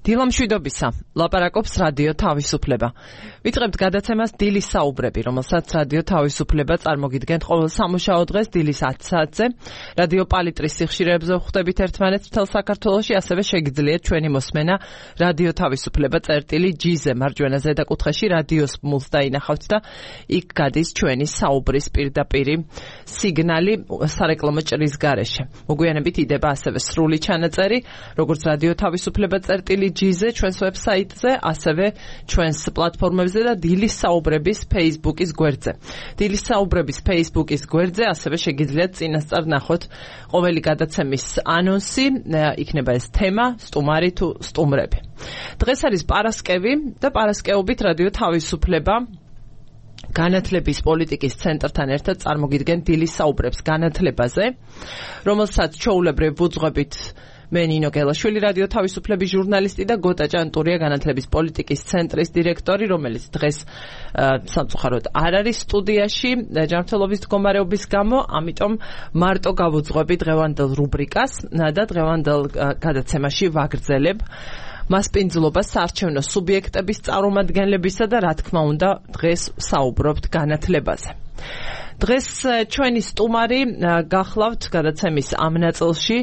დილამშვიდობისა, ლაპარაკობს რადიო თავისუფლება. ვიწყებთ გადაცემას დილის საუბრები, რომელსაც რადიო თავისუფლება წარმოგიდგენთ ყოველ სამუშაო დღეს დილის 10 საათზე. რადიო პალიტრის სიხშირეებზე ვხვდებით ერთმანეთს მთელ საქართველოში, ასევე შეგიძლიათ ჩვენი მოსმენა რადიო თავისუფლება წერტილი-G-ზე მარჯვენა ზედაკუთხეში რადიოს მულს დაინახავთ და იქ გადის ჩვენი საუბრის პირდაპირი სიგნალი სარეკლამო ჭრის გარეშე. მოგვიანებით იდება ასევე სრული ჩანაწერი, როგორც რადიო თავისუფლება წერტილი-G-ზე, ჩვენს ვებსაიტზე, ასევე ჩვენს პლატფორმებზე და დილის საუბრების Facebook-ის გვერდზე. დილის საუბრების Facebook-ის გვერდზე ასევე შეგიძლიათ წინასწარ ნახოთ ყოველი გადაცემის ანონსი, იქნება ეს თემა, სტუმარი თუ სტუმრები. დღეს არის პარასკევი და პარასკევობით რადიო თავისუფლება განათლების პოლიტიკის ცენტრთან ერთად წარმოგიდგენთ დილის საუბრებს განათლებაზე, რომელსაც ჩვეულებრივ ვუძღვებით მე ნინო გელაშვილი, რადიო თავისუფლების ჟურნალისტი და გოტა ჭანტურია, განათლების პოლიტიკის ცენტრის დირექტორი, რომელიც დღეს სამწუხაროდ არ არის სტუდიაში ჯანმრთელობის მდგომარეობის გამო, ამიტომ მარტო გავუძღვები დღევანდელ რუბრიკას და დღევანდელ გადაცემაში ვაგრძელებ მასპინძლობას საარჩევნო სუბიექტების წარმომადგენლებისა და რა თქმა უნდა დღეს საუბრობთ განათლებაზე. დღეს ჩვენი სტუმარი გახლავთ გადაცემის ამ ნაწილში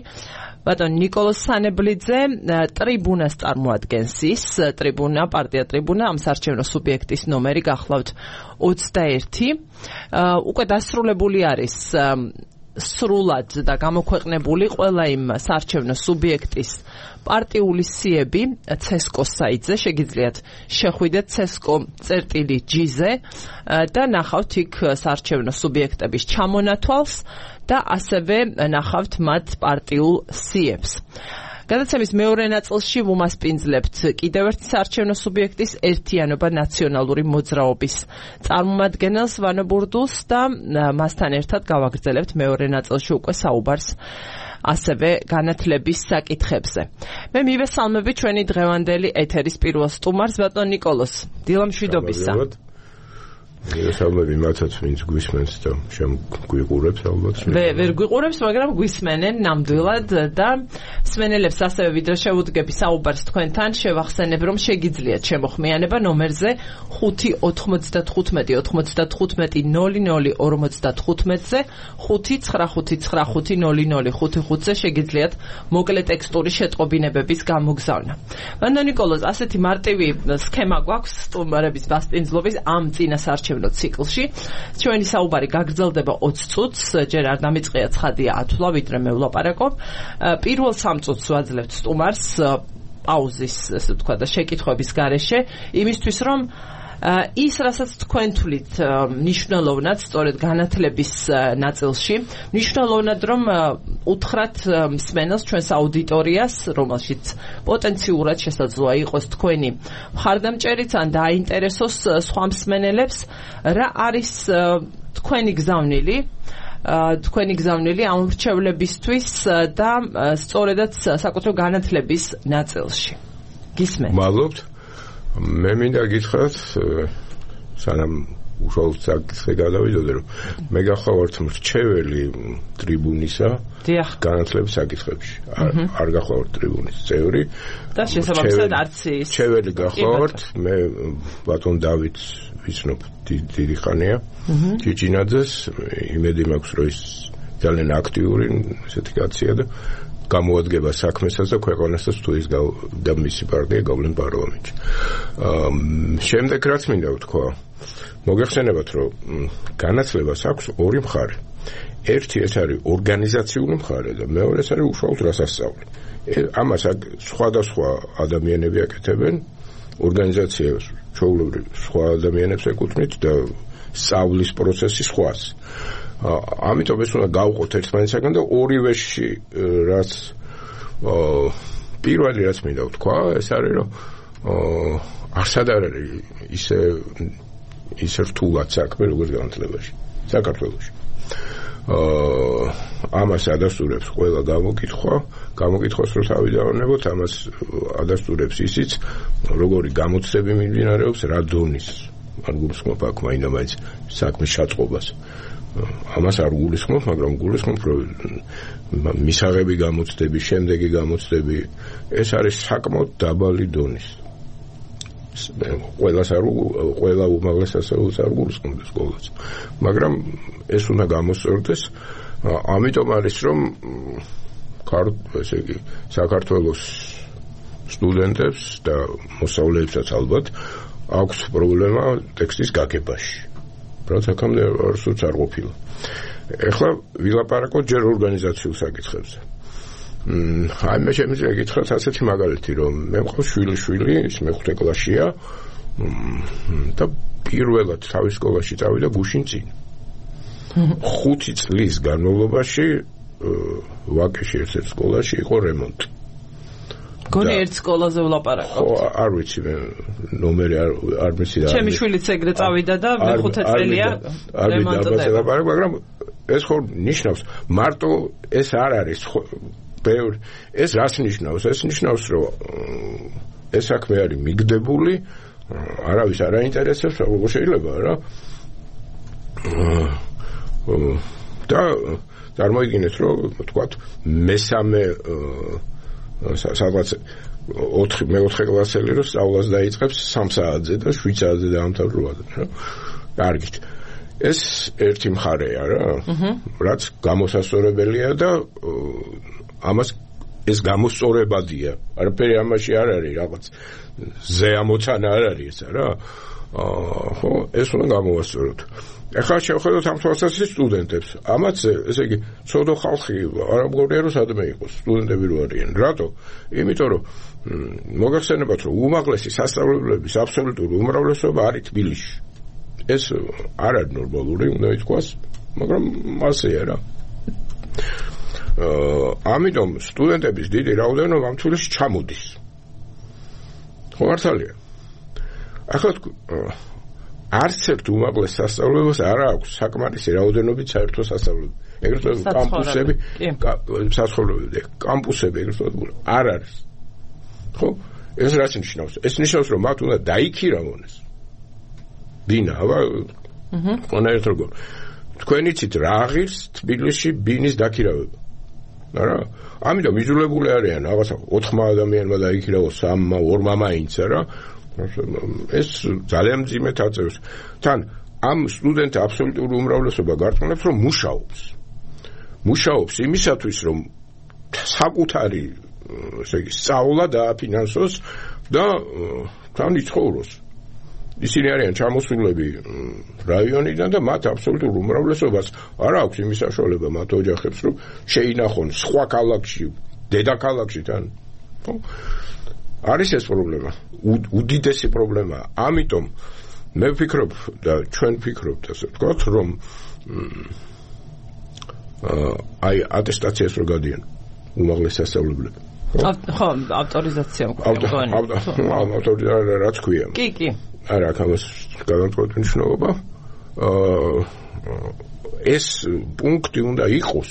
ბატონ ნიკოლოზ სანებლიძე, ტრიბუნას წარმოადგენს ის, ტრიბუნა, პარტია ტრიბუნა, ამ საარჩევნო სუბიექტის ნომერი გახლავთ 21. უკვე დასრულებული არის სრულად და გამოქვეყნებული ყველა იმ საარჩევნო სუბიექტის პარტიული სიები CESCO-ს საიტზე, შეგიძლიათ შეხვიდეთ CESCO.G-ზე და ნახავთ იქ საარჩევნო სუბიექტების ჩამონათვალს და ასევე ნახავთ მათ პარტიულ სიებს. გადაცემის მეორე ნაწილში ვუმასპინძლებთ კიდევ ერთ საარჩევნო სუბიექტის ერთიანობა ნაციონალური მოძრაობის წარმომადგენელს ვანო ბურდულს და მასთან ერთად გავაგრძელებთ მეორე ნაწილში უკვე საუბარს ასევე განათლების საკითხებზე. მე მივესალმები ჩვენი დღევანდელი ეთერის პირველ სტუმარს, ბატონ ნიკოლოზ. დილამშვიდობისა. მივესალმები მათაც, ვინც გვისმენს და გვიყურებს ალბათ. ვერ გვიყურებს, მაგრამ გვისმენენ ნამდვილად და მსმენელებს ასევე ვიდრე შევუდგები საუბარს თქვენთან, შევახსენებ, რომ შეგიძლიათ შემოხმიანება ნომერზე 5-95-95-00-55-ზე 5-95-95-00-55-ზე შეგიძლიათ მოკლე ტექსტური შეტყობინებების გამოგზავნა. ბატონ ნიკოლოზ, ასეთი მარტივი სქემა გვაქვს სტუმრების მასპინძლობის ამ წინა საარჩევნო ციკლში. ჩვენი საუბარი გაგრძელდება 20 წუთს, ჯერ არ დამიწყია ცხადია ათვლა, ვიდრე მე ვლაპარაკობ. პირველ 3 წუთს ვაძლევთ სტუმარს პაუზის, ასე ვთქვა და შეკითხვების გარეშე, იმისთვის რომ ის, რასაც თქვენ თვლით მნიშვნელოვნად, სწორედ განათლების ნაწილში, მნიშვნელოვნად რომ უთხრათ მსმენელს, ჩვენს აუდიტორიას, რომელშიც პოტენციურად შესაძლოა იყოს თქვენი მხარდამჭერიც ან დააინტერესოს სხვა მსმენელებს, რა არის თქვენი გზავნილი ამ მრჩევლებისთვის და სწორედაც საკუთრივ განათლების ნაწილში. გისმენთ? მადლობთ. მე მინდა გითხრათ, სანამ უშუალოდ საკითხზე გადავიდოდე, რომ მე გახლავართ მრჩეველი ტრიბუნისა განათლების საკითხებში. არ გახლავართ ტრიბუნის წევრი და შესაბამისად არც ის მრჩეველი გახლავართ. მე ბატონ დავითს ვიცნობ დიდი ხანია, ჭიჭინაძეს, იმედი მაქვს, რომ ის ძალიან აქტიური ესეთი კაცია და გამოადგება საქმესაც და ქვეყანასაც თუ ის და მისი პარტია გავლენ პარლამენტში. შემდეგ რაც მინდა ვთქვა, მოგეხსენებათ, რომ განათლებას აქვს ორი მხარე. ერთი ეს არის ორგანიზაციული მხარე და მეორე ეს არის უშუალოდ რასასწავლი. ამას სხვადასხვა ადამიანები აკეთებენ, ორგანიზაციას ჩვეულებრივ სხვა ადამიანებს ეკუთვნით და სწავლის პროცესი სხვას. ამიტომ ეს უნდა გავყოთ ერთმანეთსაგან და ორივეში რაც პირველი რაც მინდა ვთქვა, ეს არის რომ არსად არ არის ისე რთულად საქმე როგორც განათლებაში საქართველოში. ამას ადასტურებს ყველა გამოკითხვას რო თავი დავანებოთ, ამას ადასტურებს ისიც, როგორი გამოცდები მიმდინარეობს, რა დონის არ გულისხმობ აქ მაინც საქმის ჩაწყობას. ამას არ გულისხმობ, მაგრამ გულისხმობ, რომ მისაღები გამოცდები, შემდეგი გამოცდები, ეს არის საკმაოდ დაბალი დონის. ყველა უმაღლეს სასწავლებლს არ გულისხმობ სკოლას. მაგრამ ეს უნდა გამოსწორდეს, ამიტომ არის რომ ესე იგი საქართველოს სტუდენტებს და მოსწავლეებსაც ალბათ აქვს პრობლემა ტექსტის გაგებაში. რაც აქამდე არასოდეს არ ყოფილა. ეხლა ვილაპარაკოთ ჯერ ორგანიზაციულ საკითხებზე. აი მე შემიძლია გითხრათ ასეთი მაგალითი, რომ მე მყავს შვილი, ის მეხუთე კლასშია და პირველად თავის სკოლაში წავიდა გუშინ წინ. 5 წლის განმავლობაში ვაკეში ერთ სკოლაში იყო რემონტი. გონი ერთ სკოლაზე ვლაპარაკობ. არ ვიცი მე ნომერი არ მიცი და ჩემი შვილიც ეგრე წავიდა და მეხუთე წელია რემონტი. მაგრამ ეს ხო ნიშნავს მარტო ეს არ არის ეს რას ნიშნავს? ეს ნიშნავს რომ ეს საქმე არის მიგდებული, არავის არ აინტერესებს, როგორ შეიძლება რა. და წარმოიდგინეთ რომ თქვათ მესამე სადღაც 4 კლასელი რომ სწავლას დაიწყებს 3 საათზე და 7 საათზე დაამთავრებად რა. კარგით. ეს ერთი მხარეა რა. რაც გამოსასწორებელია და ამას ეს გამოსწორებადია. არაფერი ამაში არ არის რაღაც ზეამოცანა არ არის ესა რა. ხო, ეს უნდა გამოვასწოროთ. ეხლა შევხედოთ ამ თვალსაზრისით სტუდენტებს. ამაც ესე იგი ცოდო ხალხი არ ამგონია რომ სადმე იყოს სტუდენტები რო არიან. რატო? იმიტომ რომ მოგახსენებათ რომ უმაღლესი სასწავლებლების აბსოლუტური უმრავლესობა არის თბილისში. ეს არ არის ნორმალური, უნდა ითქვას, მაგრამ ასეა რა. ამიტომ სტუდენტების დიდი რაოდენობა ამ თბილისში ჩამოდის. ხო მართალია. ახლა არც ერთ უმაღლეს სასწავლებლებს არ აქვს საკმარისი რაოდენობით საერთო სასწავლებელი. ეგრეთ წოდებული კამპუსები, სასწავლებლები, კამპუსები ეგრეთ წოდებული არ არის. ხო? ეს რაც ნიშნავს? ეს ნიშნავს რომ მათ უნდა დაიქირავონეს. ბინა, აბა. ყველა ერთ როგორ. თქვენ იცით რა ღირს თბილისში ბინის დაქირავება. არა? ამიტომ იძულებული არიან რაღაცა 4 ადამიანმა დაიქირავოს 3-მა, 2-მა მაინცა რა. ეს ძალიან მძიმე თაწევს. თან ამ სტუდენტთა აბსოლუტური უმრავლესობა გარწმუნებს რომ მუშაობს იმისათვის რომ საკუთარი ესე იგი სწავლა დააფინანსოს და თან იცხოვროს. ისინი არიან ჩამოსულები რაიონიდან და მათ აბსოლუტურ უმრავლესობას არ აქვს იმის საშუალება მათ ოჯახებს რომ შეინახონ სხვა ქალაქში, დედაქალაქში თან. ხო? არის ეს პრობლემა, უდიდესი პრობლემა. ამიტომ მე ვფიქრობ და ჩვენ ვფიქრობთ ასე ვთქვათ, რომ აი ატესტაციას რო გადიან უმაღლეს სასწავლებლები. ხო, ავტორიზაცია მქონია. ავტორიზაცია რაც ქვია. კი. არა, ამას განვთქვათ მნიშვნელობა. ეს პუნქტი უნდა იყოს.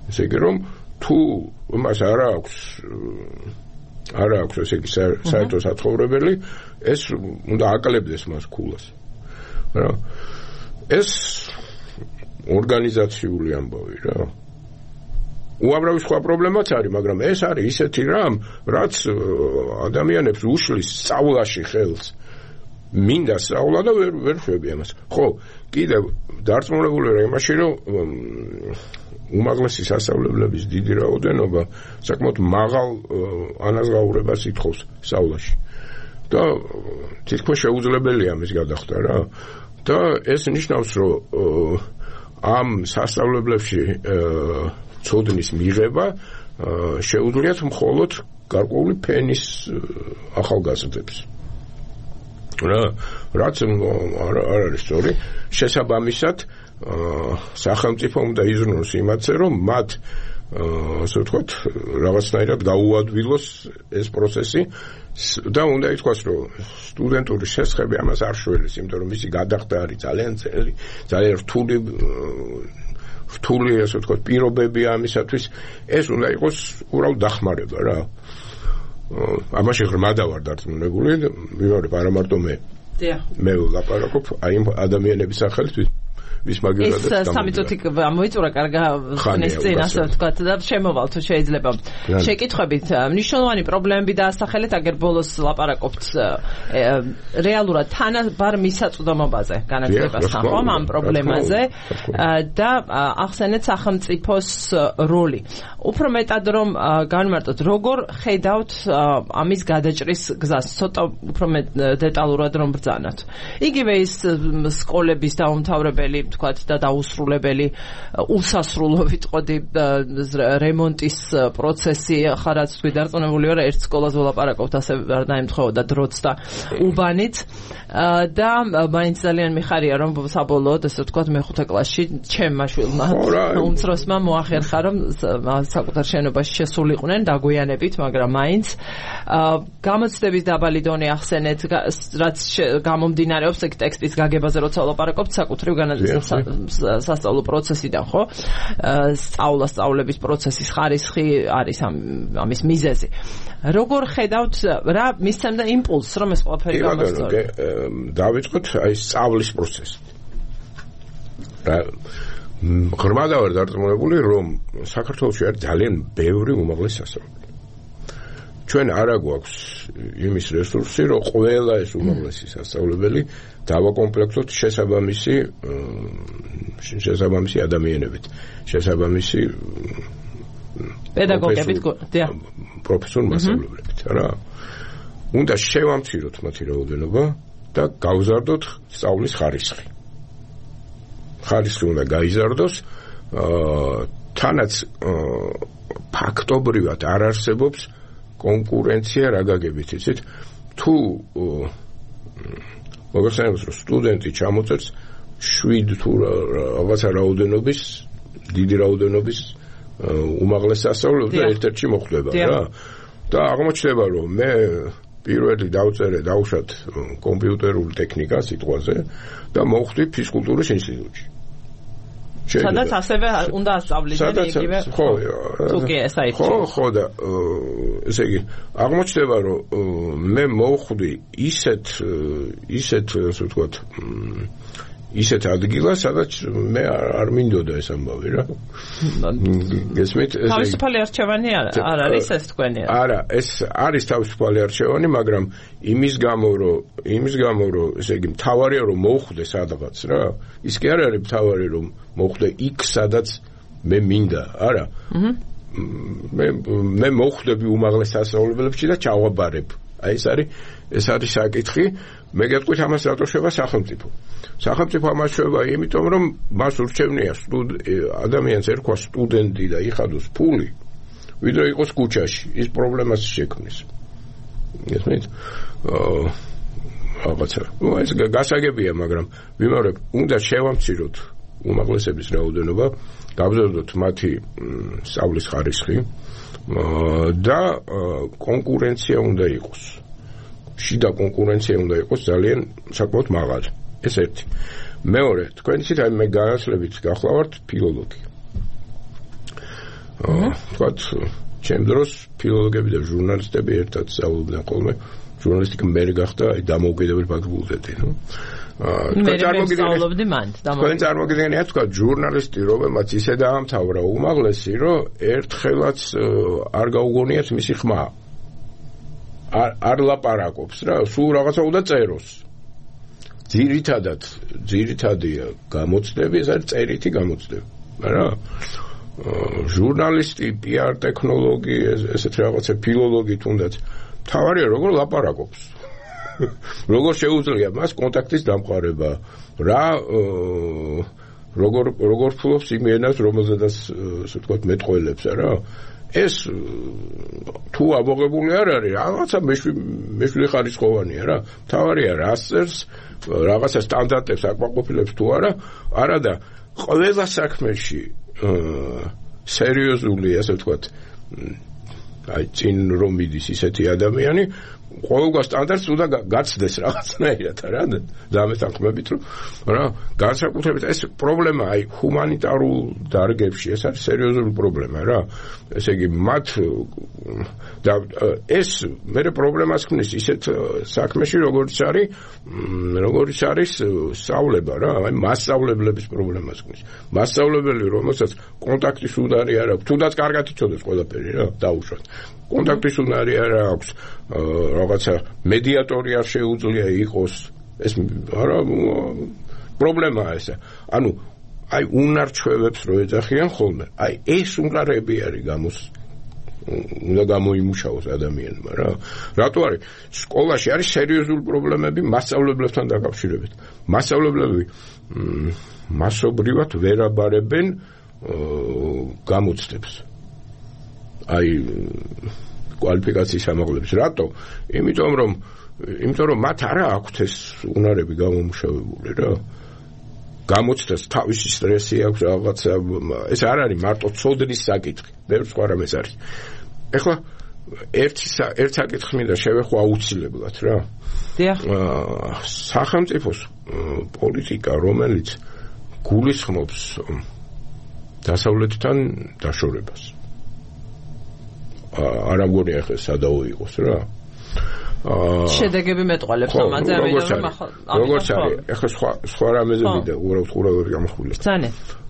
ესე იგი რომ თუ მას არ აქვს ესე იგი საერთო საცხოვრებელი, ეს უნდა აკლებდეს მას ქულას. რა. ეს ორგანიზაციული ამბავი რა. უამრავი სხვა პრობლემაც არის, მაგრამ ეს არის ისეთი რამ, რაც ადამიანებს უშლის სწავლაში ხელს. მინდა სწავლა და ვერ შვები ამას. ხო, კიდევ დარწმუნებული ვარ იმაში, რომ უმაღლესი სასწავლებლების დიდი რაოდენობა საკმაოდ მაღალ ანაზღაურებას ითხოვს სწავლაში. და თითქოს შეუძლებელია ამის გადახდა რა. და ეს ნიშნავს, რომ ამ სასწავლებლებში ცოდნის მიღება შეუძლიათ მხოლოდ გარკვეული ფენის ახალგაზრდებს. რაც არ არის სწორი. შესაბამისად სახელმწიფო უნდა იზრუნოს იმათზე, რომ მათ ასე ვთქვათ, რაღაცნაირად გაუადვილოს ეს პროცესი და უნდა ითქვას, რომ სტუდენტური შესხები ამას არ შველის, იმიტომ რომ მისი გადახდა არის ძალიან ძნელი, ძალიან რთული ასე ვთქვათ, პირობები ამისათვის. ეს უნდა იყოს უბრალოდ დახმარება რა. ამაში ღრმადა ვარ დარწმუნებული, ვიმეორებ არა მარტო მე. მე ვლაპარაკობ აი იმ ადამიანების სახელით, ვის მაგერადაც ეს 3 წუთი მოიწურა კარგა ხნის წინ ასე ვთქვათ და შემოვალ თუ შეიძლება შეკითხვებით მნიშვნელოვანი პრობლემები დაასახელეთ აგერ ბოლოს ლაპარაკობთ რეალურად თანაბარ მისაწვდომობაზე განათლებასთან ხომ ამ პრობლემაზე და ახსენეთ სახელმწიფოს როლი უფრო მეტად რომ განმარტოთ როგორ ხედავთ ამის გადაჭრის გზას ცოტა უფრო დეტალურად რომ ბრძანოთ იგივე ის სკოლების დაუმთავრებელი თქვათ და დაუსრულებელი უსასრულო ვიტყოდი რემონტის პროცესი ხა რაც თქვი დარწმუნებული ვარ ერთ სკოლას ვლაპარაკობთ ასე არ დაემთხოვდა დროც და უბანით და მაინც ძალიან მიხარია რომ საბოლოოდ ასე ვთქვათ მე-5 კლასში ჩემმა შვილმა უმცროსმა მოახერხა რომ საკუთარ შენობაში შესულიყვნენ დაგვიანებით მაგრამ მაინც გამოცდების დაბალი დონე ახსენეთ რაც გამომდინარეობს ეგ ტექსტის გაგებაზე როცა ვლაპარაკობთ საკუთრივ სასწავლო პროცესიდან ხო სწავლების პროცესის ხარისხი არის ამის მიზეზი როგორ ხედავთ რა მისცემდა იმპულსს რომ ეს ყველაფერი გამოსწორდეს დავიწყოთ აი სწავლის პროცესი ღრმად ვარ დარწმუნებული რომ საქართველოში არის ძალიან ბევრი უმაღლესი სასწავლებელი ჩვენ არა გვაქვს იმის რესურსი რომ ყველა ეს უმაღლესი სასწავლებელი დავაკომპლექტოთ შესაბამისი ადამიანებით შესაბამისი პედაგოგებით პროფესორ მასწავლებლებით რა უნდა შევამციროთ მათი რაოდენობა და გავზარდოთ სწავლის ხარისხი უნდა გაიზარდოს თანაც ფაქტობრივად არ არსებობს კონკურენცია რა გაგებით იცით თუ მოგახსენებთ რომ სტუდენტი ჩამოწერს 7 თუ რაღაცა რაოდენობის დიდი რაოდენობის უმაღლეს სასწავლებლად და ერთ-ერთში მოხვდება რა და აღმოჩნდება რომ მე პირველი დავუშვათ კომპიუტერული ტექნიკა სიტყვაზე და მოვხვდი ფიზკულტურის ინსტიტუტში სადაც ასევე უნდა ასწავლიდნენ იგივე თუკი ესაითი ხო და ესე იგი აღმოჩნდება რომ მე მოვხვდი ისეთ ასე ვთქვათ ისეთ ადგილას სადაც მე არ მინდოდა ეს ამბავი რა გესმით თავისუფალი არჩევანი არ არის ეს თქვენი არა ეს არის თავისუფალი არჩევანი მაგრამ იმის გამო რომ ესე იგი მთავარია რომ მოვხვდე სადღაც რა ის კი არ არის მთავარი რომ მოვხვდე იქ სადაც მე მინდა არა მე მოვხვდები უმაღლეს სასწავლებლებში და ჩავაბარებ აი ეს არის საკითხი მე გეტყვით ამას რატო შევა სახელმწიფო ამას შევა იმიტომ რომ მას ურჩევნია ადამიანს ერქვა სტუდენტი და იხადოს ფული ვიდრე იყოს ქუჩაში ის პრობლემას შექმნის გესმით რაღაცა ეს გასაგებია მაგრამ ვიმეორებ უნდა შევამციროთ უმაღლესების რაოდენობა გავზარდოთ მათი სწავლის ხარისხი და კონკურენცია უნდა იყოს შიდა კონკურენცია უნდა იყოს ძალიან საკმაოდ მაღალი ეს ერთი მეორე თქვენ იცით აი მე განათლებით გახლავართ ფილოლოგი თქვათ ჩემ დროს ფილოლოგები და ჟურნალისტები ერთად სწავლობდნენ ხოლმე ჟურნალისტიკა მე გახდა აი დამოუკიდებელი ფაკულტეტი თქვენ წარმოგიდგენიათ თქვათ ჟურნალისტი რომელმაც ისე დაამთავრა უმაღლესი რომ ერთხელაც არ გაუგონიათ მისი ხმა არ ლაპარაკობს რა სულ რაღაცა უნდა წეროს ძირითადია გამოცდები ეს არის წერითი გამოცდები რა ჟურნალისტი PR ტექნოლოგი ესეთ რაღაცა ფილოლოგი თუნდაც თავარია როგორ ლაპარაკობს როგორ შეუძლია მას კონტაქტის დამყარება რა როგორ ფულობს იმ ენას რომელზედაც ასე ვთქვათ მეტყველებს რა ეს თუ ამოღებული არ არის რაღაცა მეშვიდე ხარისხოვანია რა თავარია რასწერს რაღაცა სტანდარტებს აკმაყოფილებს თუ არა და ყველა საქმეში სერიოზული ასე ვთქვათ აი წინ რომ მიდის ისეთი ადამიანი ყოველგვარ სტანდარტს უნდა გაცდეს რაღაცნაირად რა დამეთანხმებით რომ რა განსაკუთრებით ეს პრობლემა აი ჰუმანიტარულ დარგებში ეს არის სერიოზული პრობლემა რა ესე იგი მათ და ეს მე პრობლემას ქმნის ისეთ საქმეში როგორც არის სწავლება რა აი მასწავლებლების პრობლემას ქმნის მასწავლებელი რომელსაც კონტაქტის უნარი არ აქვს თუნდაც კარგად იცოდეს ყველაფერი რა დაუშვათ კონტაქტის უნარი არ აქვს რაღაცა მედიატორი არ შეუძლია იყოს ეს არა პრობლემაა ეს ანუ აი უნარჩვევებს რო ეძახიან ხოლმე აი ეს უნარები არის უნდა გამოიმუშაოს ადამიანმა რა რატო არის სკოლაში არის სერიოზული პრობლემები მასწავლებლებთან დაკავშირებით მასწავლებლები მასობრივად ვერ აბარებენ გამოცდებს აი კვალიფიკაციის ამაღლების რატო იმიტომ რომ მათ არა აქვთ ეს უნარები გამომუშავებული რა გამოცდას თავისი სტრესი აქვს რაღაცა ეს არ არის მარტო ცოდნის საკითხი ბევრ სხვა რამეს არის ეხლა ერთ საკითხს მინდა შევეხო აუცილებლად რა დიახ სახელმწიფოს პოლიტიკა რომელიც გულისხმობს დასავლეთთან დაშორებას არ ამგონია ხე სადაო იყოს რა შედეგები მეტყოლებს ამაზე როგორც არის ეხლა სხვა რამეზე მინდა უბრალოდ გამახვილებ ბრძანე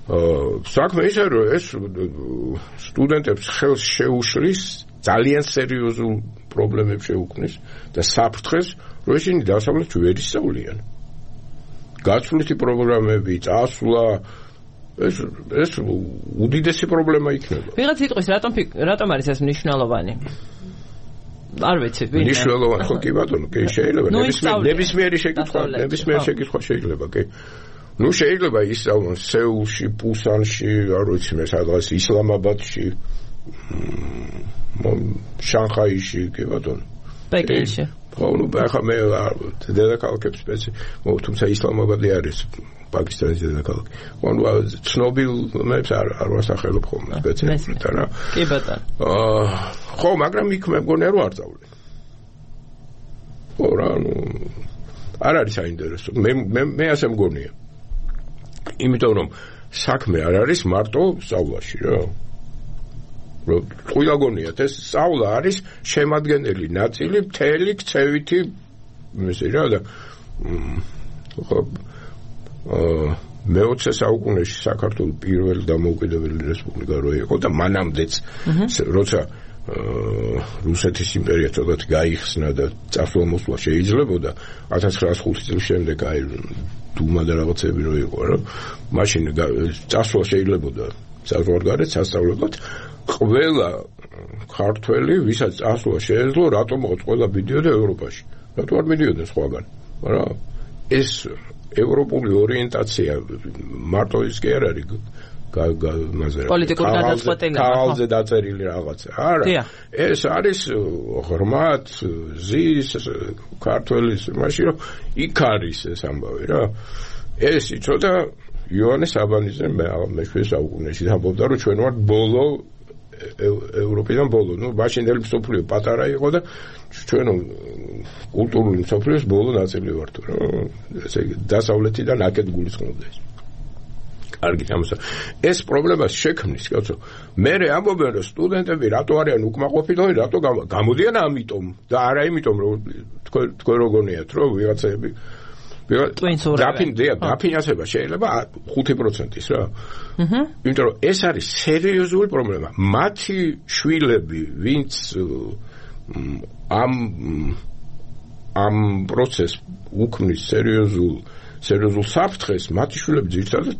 საქმე ისე რომ ეს სტუდენტებს ხელს შეუშლის ძალიან სერიოზულ პრობლემებს შეუქმნის და საფრთხეს რომ ისინი დასავლეთში ვერ ისწავლიან გაცვლითი პროგრამები წასვლა ეს უდიდესი პრობლემა იქნება ვიღაც იტყვის რატომ არის ეს მნიშვნელოვანი არ ვიცი ვინ მნიშვნელოვანი ხო კი ბატონო კი შეიძლება ნებისმიერი შეკითხვა შეიძლება კი ნუ შეიძლება ისწავლონ სეულში პუსანში არ ვიცი მე სადღაც ისლამაბადში შანხაიში კი ბატონო პეკინში ხო ნუ ახლა მე დედაქალაქებს სპეცი თუმცა ისლამაბადი არის პაკისტანის დედაქალაქი ანუ ცნობილებს არ ვასახელებ ხოლმე სპეციალურად რა კი ბატონო ხო მაგრამ იქ მე მგონია რომ არ წავლენ ხო რა ნუ არ არის საინტერესო მე ასე მგონია იმიტომ რომ საქმე არ არის მარტო სწავლაში რა რომ ყველა გონიათ ეს სწავლა არის შემადგენელი ნაწილი მთელი ქცევითი ესე რა და ხო მე-20 საუკუნეში საქართველოს პირველი დამოუკიდებელი რესპუბლიკა რო იყო და მანამდეც როცა რუსეთის იმპერია ცოტათი გაიხსნა და წასვლა-მოსვლა შეიძლებოდა 1905 წლის შემდეგ აი დუმა და რაღაცები რო იყო რა მაშინ წასვლა შეიძლებოდა საზღვარგარეთ სასწავლებად ყველა ქართველი ვისაც წასვლა შეეძლო რატომ მოყვა ყველა მიდიოდა ევროპაში რატო არ მიდიოდნენ სხვაგან რა ეს ევროპული ორიენტაცია მარტო ის კი არ არის პოლიტიკურ გადაწყვეტილება ქალზე დაწერილი რაღაცა არა ეს არის ღრმად ზის ქართველის მაშინ რომ იქ არის ეს ამბავი რა ეს იცოდა იოანე საბანიძე მე-20 საუკუნეში ამბობდა რომ ჩვენ ვართ ბოლო ევროპიდან ბოლო ნუ მაშინდელი მსოფლიო პატარა იყო და ჩვენ კულტურული მსოფლიოს ბოლო ნაწილი ვართ რა ესე იგი დასავლეთიდან აკეთ გულისხმობდა ეს კარგი ამასა ეს პრობლემას შექმნის კაცო მე ამბობენ რომ სტუდენტები რატო არიან უკმაყოფილონი რატო გამოდიან ამიტომ და არა იმიტომ რომ თქვენ როგორიათ რომ ვიღაცები დაფინანსება შეიძლება 5%-ის რა იმიტომ რომ ეს არის სერიოზული პრობლემა მათი შვილები ვინც ამ პროცესს უქმნის სერიოზულ საფრთხეს მათი შვილები ძირითადად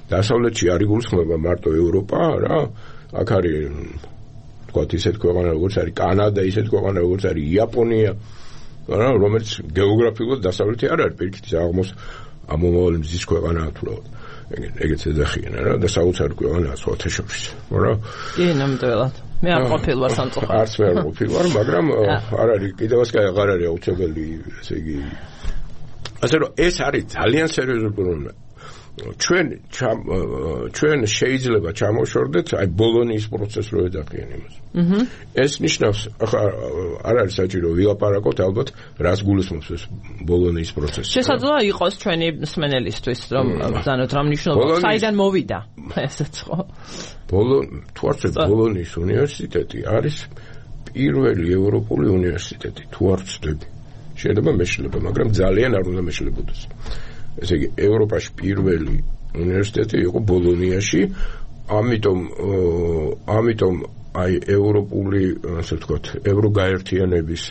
დასავლეთში არის გულისხმობა მარტო ევროპა რა აქ არის თქვათ ისეთ ქვეყანა როგორც არის კანადა ისეთ ქვეყანა როგორც არის იაპონია რა რომელიც გეოგრაფიულად დასავლეთი არ არის პირიქით ამომავალი მზის ქვეყანაა თუ რა ეგეც ეძახიან რა და საოცარი ქვეყანაა სხვათა შორის რა კი ნამდვილად მე არ ყოფილ ვარ სამწუხაროდ არც მე არ ყოფილ ვარ მაგრამ არ არის კიდევაც აღარ არის აუცილებელი ესე იგი ასე რომ ეს არის ძალიან სერიოზული პრობლემა ჩვენ შეიძლება ჩამოშორდეთ აი ბოლონიის პროცესს რო ეძახიან იმას. ეს ნიშნავს ახლა არ არის საჭირო ვილაპარაკოთ ალბათ რას გულისხმობს ეს ბოლონიის პროცესი. შესაძლოა იყოს ჩვენი მსმენელისთვის რომ ბრძანოთ რა მნიშვნელობა საიდან მოვიდა ესეც ხო? თუ არ ვცდები ბოლონიის უნივერსიტეტი არის პირველი ევროპული უნივერსიტეტი თუ არ ვცდები. შეიძლება მეშლება, მაგრამ ძალიან არ უნდა მეშლებოდეს. ესე იგი ევროპაში პირველი უნივერსიტეტი იყო ბოლონიაში, ამიტომ აი ევროპული, ასე ვთქვათ, ევროგაერთიანების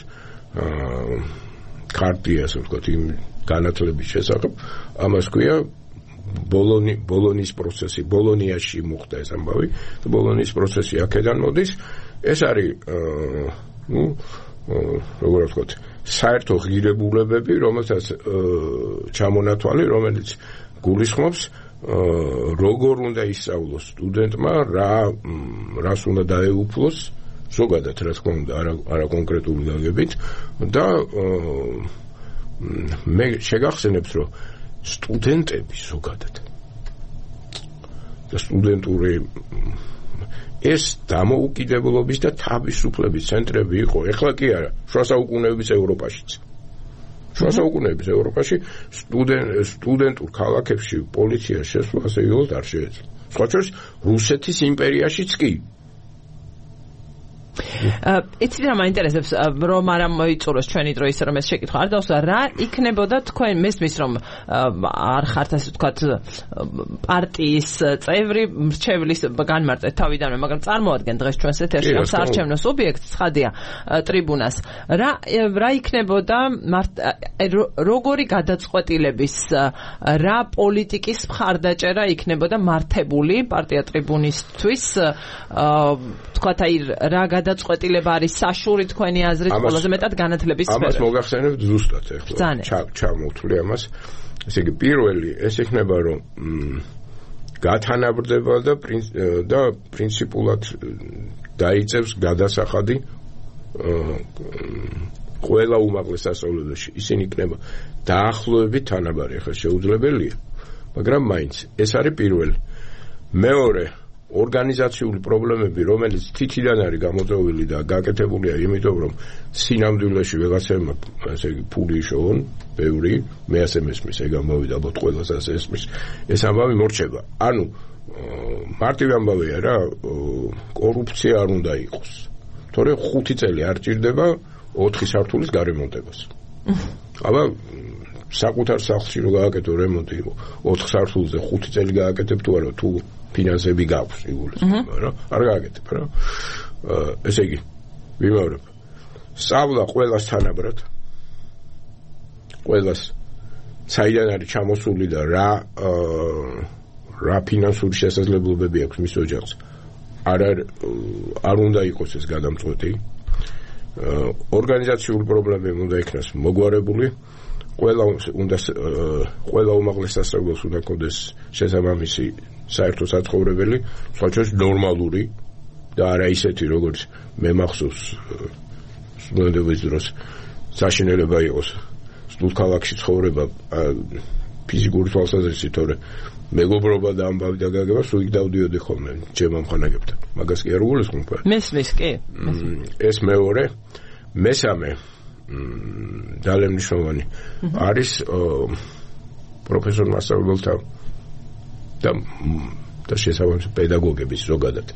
ქარტია, ასე ვთქვათ, იმ განათლების შესახებ, ამას ქვია ბოლონიის პროცესი, ბოლონიაში მოხდა ეს ამბავი, ბოლონიის პროცესი აქედან მოდის, ეს არის როგორ ვთქვათ, საერთო ღირებულებები, რომელსაც ჩამონათვალი, რომელიც გულისხმობს როგორ უნდა ისწავლოს სტუდენტმა, რას უნდა დაეუფლოს, ზოგადად რა თქმა უნდა, არა კონკრეტული გაგებით და მე შეგახსენებს, რომ სტუდენტები ზოგადად და სტუდენტური ეს დამოუკიდებლობის და თავისუფლების ცენტრები იყო, ეხლა კი არა, შუა საუკუნეების ევროპაშიც. შუა საუკუნეების ევროპაში სტუდენტურ ქალაქებში პოლიცია შესვლა ასე იგივე არ შეეძლო. სხვა შორის რუსეთის იმპერიაშიც კი. იცით რა მაინტერესებს რომ არ მოიწუროს ჩვენი დრო ისე რომ ეს შეკითხვა არ დავსვა რა იქნებოდა თქვენ მესმის რომ არ ხართ ასე ვთქვათ პარტიის წევრი მრჩევლის განმარტეთ თავიდანვე მაგრამ წარმოადგენთ დღეს ჩვენს ეთერში ამ საარჩევნო სუბიექტს ცხადია ტრიბუნას რა იქნებოდა როგორი გადაწყვეტილების რა პოლიტიკის მხარდაჭერა იქნებოდა მართებული პარტია ტრიბუნისთვის ვთქვათ აი რა გადაწყვეტილება არის საშური თქვენი აზრით ყველაზე მეტად განათლების სფეროში. ამას მოგახსენებთ ზუსტად ახლა. ჩამოვთვლი ამას. ესე იგი პირველი ეს იქნება რომ გათანაბრდება და პრინციპულად დაიწევს გადასახადი ყველა უმაღლეს სასწავლებელში. ისინი იქნება დაახლოებით თანაბარი, ახლა შეუძლებელია, მაგრამ მაინც ეს არის პირველი. მეორე ორგანიზაციული პრობლემები, რომელიც თითიდან არის გამოწვეული და გაკეთებულია, იმიტომ რომ სინამდვილეში ვეღაცებმა, ასე იგი, ფული იშოვონ, ბევრი, მე ასე მესმის, ეგ ამბავი და ალბათ ყველას ასე ესმის, ეს ამბავი მორჩება. ანუ მარტივი ამბავია რა, კორუფცია არ უნდა იყოს. თორემ 5 წელი არ ჭირდება 4 სართულის გარემონტებას. აბა საკუთარ სახლში რო გააკეთო რემონტი, 4 სართულზე 5 წელი გააკეთებ თუ არა, თუ ფინანსები გაქვს იგულისხმება რა არ გააკეთებ რა ესე იგი ვიმეორებ სწავლა ყველას თანაბრად ყველას საიდან არის ჩამოსული და რა ფინანსური შესაძლებლობები აქვს მის ოჯახს არ უნდა იყოს ეს გადამწყვეტი ორგანიზაციული პრობლემები უნდა იქნას მოგვარებული ყველა უმაღლეს სასწავლებელს უნდა ქონდეს შესაბამისი საერთო საცხოვრებელი, სხვა შორის ნორმალური და არა ისეთი, როგორც მე მახსოვს სტუდენტობის დროს საშინელება იყოს სტუდქალაქში ცხოვრება ფიზიკური თვალსაზრისით, თორე მეგობრობა და ამბავი და გაგება სულ იქ დავდიოდი ხოლმე ჩემ ამხანაგებთან. მაგას კი არ გულისხმობ. მესმის კი. ეს მეორე, მესამე ძალიან მნიშვნელოვანი არის პროფესორ მასწავლებელთა და შესაბამისი პედაგოგების ზოგადად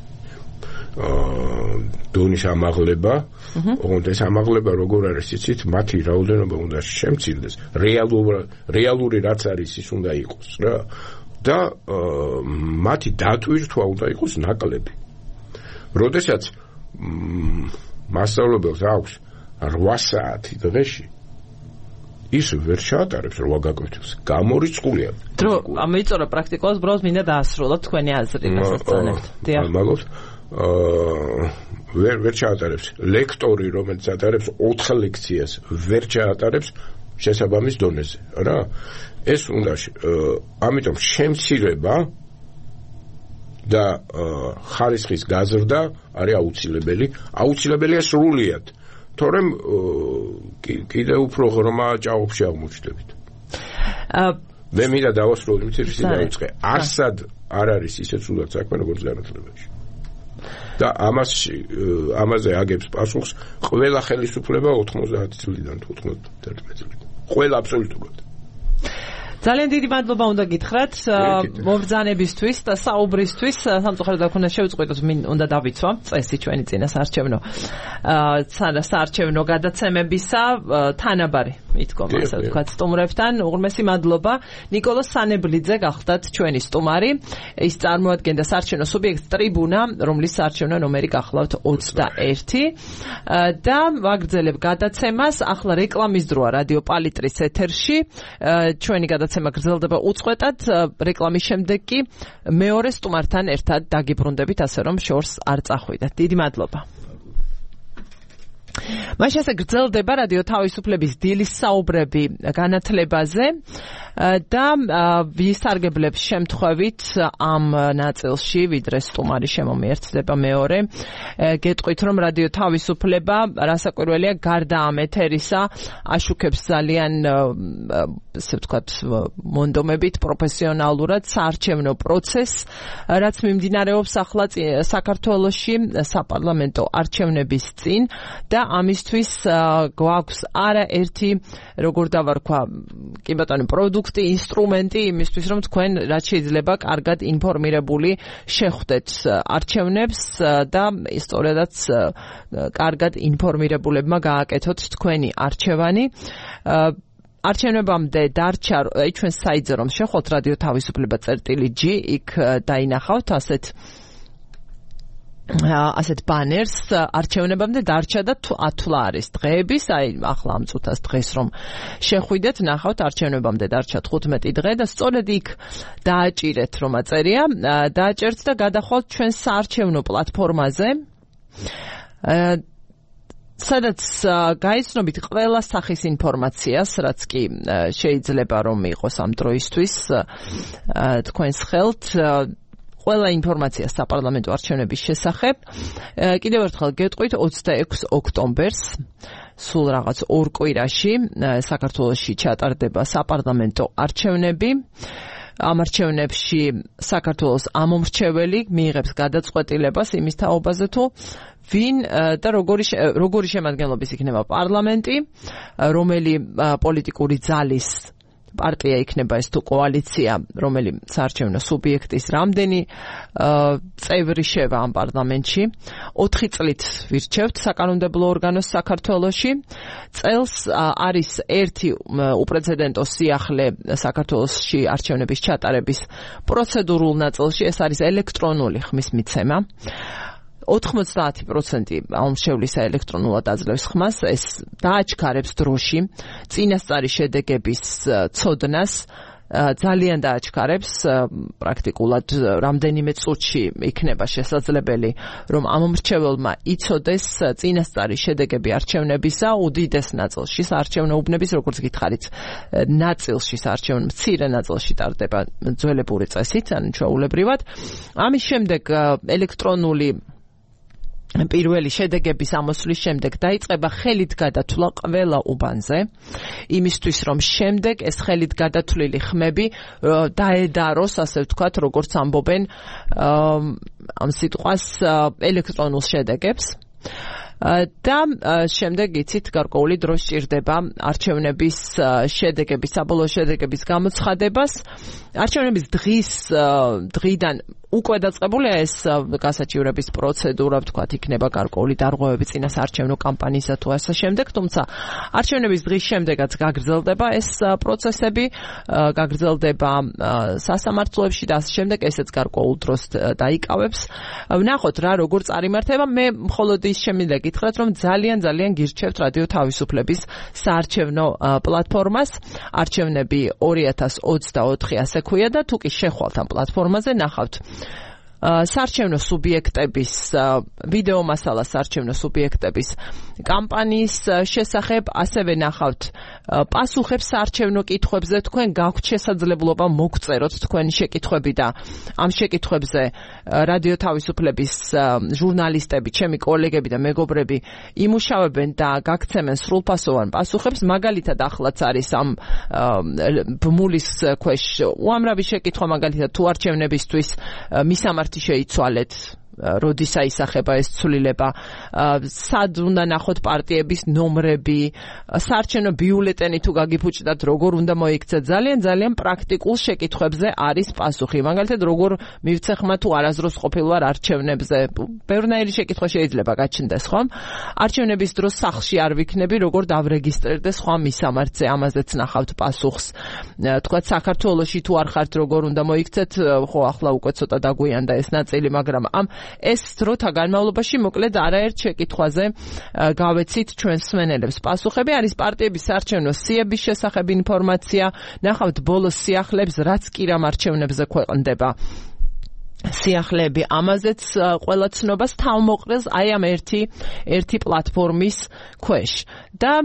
დონის ამაღლება, ოღონდ ეს ამაღლება როგორ არის იცით, მათი რაოდენობა უნდა შემცირდეს, რეალური რაც არის ის უნდა იყოს რა და მათი დატვირთვა უნდა იყოს ნაკლები. როდესაც მასწავლებელს აქვს 8 საათი დღეში ის ვერ ჩაატარებს 8 გაკვეთილს. გამორიცხულია. დრო ამეწორა პრაქტიკულს ბროს მინდა დაასრულოთ თქვენი აზრი დასაცანებთ. დიახ. მადლობთ. ვერ ჩაატარებს. ლექტორი, რომელიც ატარებს 4 ლექციას, ვერ ჩაატარებს შესაბამის დონეზე, რა. ეს უნდა ამიტომ შემცირება და ხარისხის გაზრდა არის აუცილებელი. აუცილებელია სრულიად. თორემ კიდე უფრო ღრმა ჭაობში აღმოჩნდებით. მე მინდა დავასრულო იმით, რომ დავიწყე. არსად არ არის ისე სულად საქმე, როგორც განათლებაში. და ამაზე აგებს პასუხს ყველა ხელისუფლება 90 წლიდან თუ 91 წლიდან. ყველა აბსოლუტურად. ძალიან დიდი მადლობა უნდა გითხრათ მობრძანებისთვის და საუბრისთვის. სამწუხაროდ აქ უნდა შევწყვეტოთ, უნდა დავიცვა წესი ჩვენი წინასაარჩევნო საარჩევნო გადაცემებისა თანაბარი მიდგომა, ასე ვთქვათ, სტუმრებთან. უღრმესი მადლობა. ნიკოლოზ სანებლიძე გახდათ ჩვენი სტუმარი. ის წარმოადგენდა საარჩევნო სუბიექტს ტრიბუნა, რომლის საარჩევნო ნომერი გახლავთ 21 და ვაგრძელებ გადაცემას. ახლა რეკლამის დროა რადიო პალიტრის ეთერში. ჩვენი გადაცემა გრძელდება უწყვეტად. რეკლამის შემდეგ კი მეორე სტუმართან ერთად დაგიბრუნდებით, ასე რომ შორს არ წახვიდეთ. დიდი მადლობა. მაშინ ასე გრძელდება რადიო თავისუფლების დილის საუბრები განათლებაზე და ვისარგებლებს შემთხვევით ამ ნაწილში, ვიდრე სტუმარი შემომიერთდება მეორე, გეტყვით, რომ რადიო თავისუფლება რასაკვირველია გარდა ამ ეთერისა აშუქებს ძალიან ასე ვთქვათ მონდომებით პროფესიონალურად საარჩევნო პროცესს, რაც მიმდინარეობს ახლა საქართველოში საპარლამენტო არჩევნების წინ და ამისთვის გვაქვს არაერთი, როგორ დავარქვა, კი ბატონო, პროდუქტი, ინსტრუმენტი იმისთვის, რომ თქვენ რაც შეიძლება კარგად ინფორმირებული შეხვდეთ არჩევნებს და სწორედაც კარგად ინფორმირებულებმა გააკეთოთ თქვენი არჩევანი. არჩევნებამდე დარჩა ჩვენს საიტზე რომ შეხოთ რადიო თავისუფლება.g, იქ დაინახავთ ასეთ ბანერს. არჩევნებამდე დარჩა და ათვლა არის დღეების, აი ახლა ამ წუთას დღეს რომ შეხვიდეთ, ნახავთ არჩევნებამდე დარჩა 15 დღე და სწორედ იქ დააჭირეთ რომ აწერია, დააჭერთ და გადახვალთ ჩვენ საარჩევნო პლატფორმაზე. სადაც გაიცნობით ყველა სახის ინფორმაციას, რაც კი შეიძლება რომ იყოს ამ დროისთვის თქვენს ხელთ. ყველა ინფორმაცია საპარლამენტო არჩევნების შესახებ. კიდევ ერთხელ გეტყვით 26 ოქტომბერს სულ რაღაც 2 კვირაში საქართველოში ჩატარდება საპარლამენტო არჩევნები. ამ არჩევნებში საქართველოს ამომრჩეველი მიიღებს გადაწყვეტილებას იმის თაობაზე თუ ვინ და როგორი შემადგენლობის იქნება პარლამენტი, რომელი პოლიტიკური ძალის პარტია იქნება ეს თუ კოალიცია, რომელი საარჩევნო სუბიექტის რამდენი წევრი შევა ამ პარლამენტში. 4 წლით ვირჩევთ საკანონმდებლო ორგანოს საქართველოში. წელს არის ერთი უპრეცედენტო სიახლე საქართველოში არჩევნების ჩატარების პროცედურულ ნაწილში, ეს არის ელექტრონული ხმის მიცემა. 90% ამომრჩევლისა ელექტრონულად აძლევს ხმას, ეს დააჩქარებს დროში წინასწარი შედეგების ცოდნას, ძალიან დააჩქარებს, პრაქტიკულად რამდენიმე წუთში იქნება შესაძლებელი, რომ ამომრჩეველმა იცოდეს წინასწარი შედეგები არჩევნებისა უდიდეს ნაწილში, საარჩევნო უბნების, როგორც გითხარით, ნაწილში, საარჩევნო მცირე ნაწილში ტარდება ძველებური წესით, ანუ ჩვეულებრივად. ამის შემდეგ ელექტრონული პირველი შედეგების ამოსვლის შემდეგ დაიწყება ხელით გადათვლა ყველა უბანზე, იმისთვის რომ შემდეგ ეს ხელით გადათვლილი ხმები დაედაროს, ასე ვთქვათ, როგორც ამბობენ ამ სიტყვას ელექტრონულ შედეგებს. და შემდეგ იცით გარკვეული დრო სჭირდება არჩევნების შედეგების, საბოლოო შედეგების გამოცხადებას. არჩევნების დღიდან უკვე დაწყებულია ეს გასაჩივრების პროცედურა, ვთქვათ, იქნება გარკვეული დარღვევები წინასაარჩევნო კამპანიისა თუ ასე შემდეგ, თუმცა არჩევნების დღის შემდეგაც გაგრძელდება ეს პროცესები, გაგრძელდება სასამართლოებში და ასე შემდეგ, ესეც გარკვეულ დროს დაიკავებს. ვნახოთ რა როგორ წარიმართება. მე მხოლოდ ის შემინდა გითხრათ, რომ ძალიან გირჩევთ რადიო თავისუფლების საარჩევნო პლატფორმას. არჩევნები 2024 ასე ქვია და თუ კი შეხვალთ ამ პლატფორმაზე, ნახავთ საარჩევნო სუბიექტების ვიდეო მასალა საარჩევნო სუბიექტების კამპანიის შესახებ, ასევე ნახავთ პასუხებს საარჩევნო კითხვებზე. თქვენ გაქვთ შესაძლებლობა მოგწეროთ თქვენი შეკითხვები და ამ შეკითხვებზე რადიო თავისუფლების ჟურნალისტები, ჩემი კოლეგები და მეგობრები იმუშავებენ და გაგცემენ სრულფასოვან პასუხებს. მაგალითად ახლაც არის ამ ბმულის ქვეშ უამრავი შეკითხვა, მაგალითად თუ არჩევნებისთვის მისამართი შეიცვალეთ, როდის აისახება ეს ცვლილება, სად უნდა ნახოთ პარტიების ნომრები, საარჩევნო ბიულეტენი თუ გაგიფუჭდათ, როგორ უნდა მოიქცეთ. ძალიან პრაქტიკულ შეკითხვებზე არის პასუხი. მაგალითად, როგორ მივცე ხმა თუ არასდროს ყოფილ ვარ არჩევნებზე. ბევრნაირი შეკითხვა შეიძლება გაჩნდეს, ხომ? არჩევნების დროს სახლში არ ვიქნები, როგორ დავრეგისტრირდე სხვა მისამართზე, ამაზეც ნახავთ პასუხს. თქვათ საქართველოში თუ არ ხართ, როგორ უნდა მოიქცეთ, ხო ახლა უკვე ცოტა დაგვიანდა ეს ნაწილი, მაგრამ ეს დროთა განმავლობაში მოკლედ არაერთ შეკითხვაზე გავეცით ჩვენს მსმენელებს პასუხები. არის პარტიების საარჩევნო სიების შესახებ ინფორმაცია, ნახავთ ბოლოს სიახლეებს, რაც კი რამ არჩევნებზე ქვეყნდება. სიახლეები ამაზეც ყველა ცნობას თავმოყრეს აი ამ ერთი პლატფორმის ქვეშ. და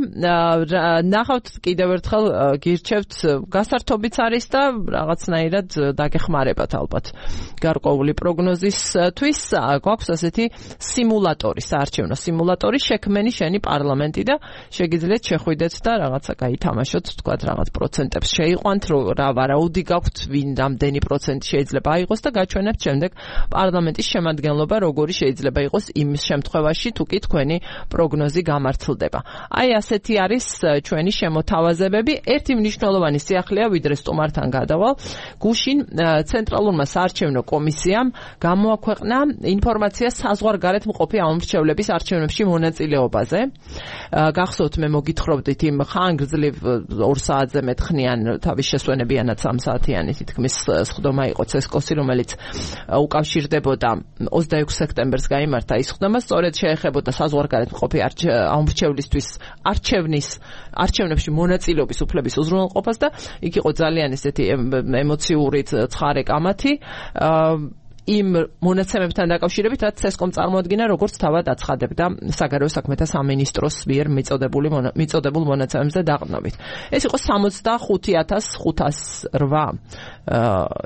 ნახავთ კიდევ ერთხელ გირჩევთ, გასართობიც არის და რაღაცნაირად დაგეხმარებათ ალბათ გარკვეული პროგნოზისთვის. გვაქვს ასეთი სიმულატორი, საარჩევნო სიმულატორი, შექმენი შენი პარლამენტი და შეგიძლიათ შეხვიდეთ და რაღაცა გაითამაშოთ, თქვათ რაღაც პროცენტებს შეიყვანთ, რა ვარაუდი გაქვთ, ვინ რამდენი პროცენტი შეიძლება აიღოს და გაჩვენებთ შემდეგ პარლამენტის შემადგენლობა როგორი შეიძლება იყოს იმ შემთხვევაში თუ კი თქვენი პროგნოზი გამართლდება. აი ასეთი არის ჩვენი შემოთავაზებები. ერთი მნიშვნელოვანი სიახლეა, ვიდრე სტუმართან გადავალ, გუშინ ცენტრალურმა საარჩევნო კომისიამ გამოაქვეყნა ინფორმაცია საზღვარგარეთ მყოფი ამომრჩევლების არჩევნებში მონაწილეობაზე. გახსოვთ, მე მოგითხრობდით იმ ხანგრძლივ 2 საათზე მეტხნიან თავის შესვენებიანად 3 საათიანი თითქმის სხდომა იყო CESCO-ს, რომელიც უკავშირდებოდა 26 სექტემბერს გაიმართა ის სხდომა, სწორედ შეეხებოდა საზღვარგარეთ მყოფი ამომრჩევლისთვის არჩევნებში მონაწილეობის უფლების უზრუნველყოფას და იქ იყო ძალიან ესეთი ემოციური ცხარე კამათი იმ მონაცემებთან დაკავშირებით, რაც CESCO-მ წარმოადგინა, როგორც თავად აცხადებდა საგარეო საქმეთა სამინისტროს მიერ მიწოდებულ მონაცემებზე დაყრდნობით. ეს იყო 65,508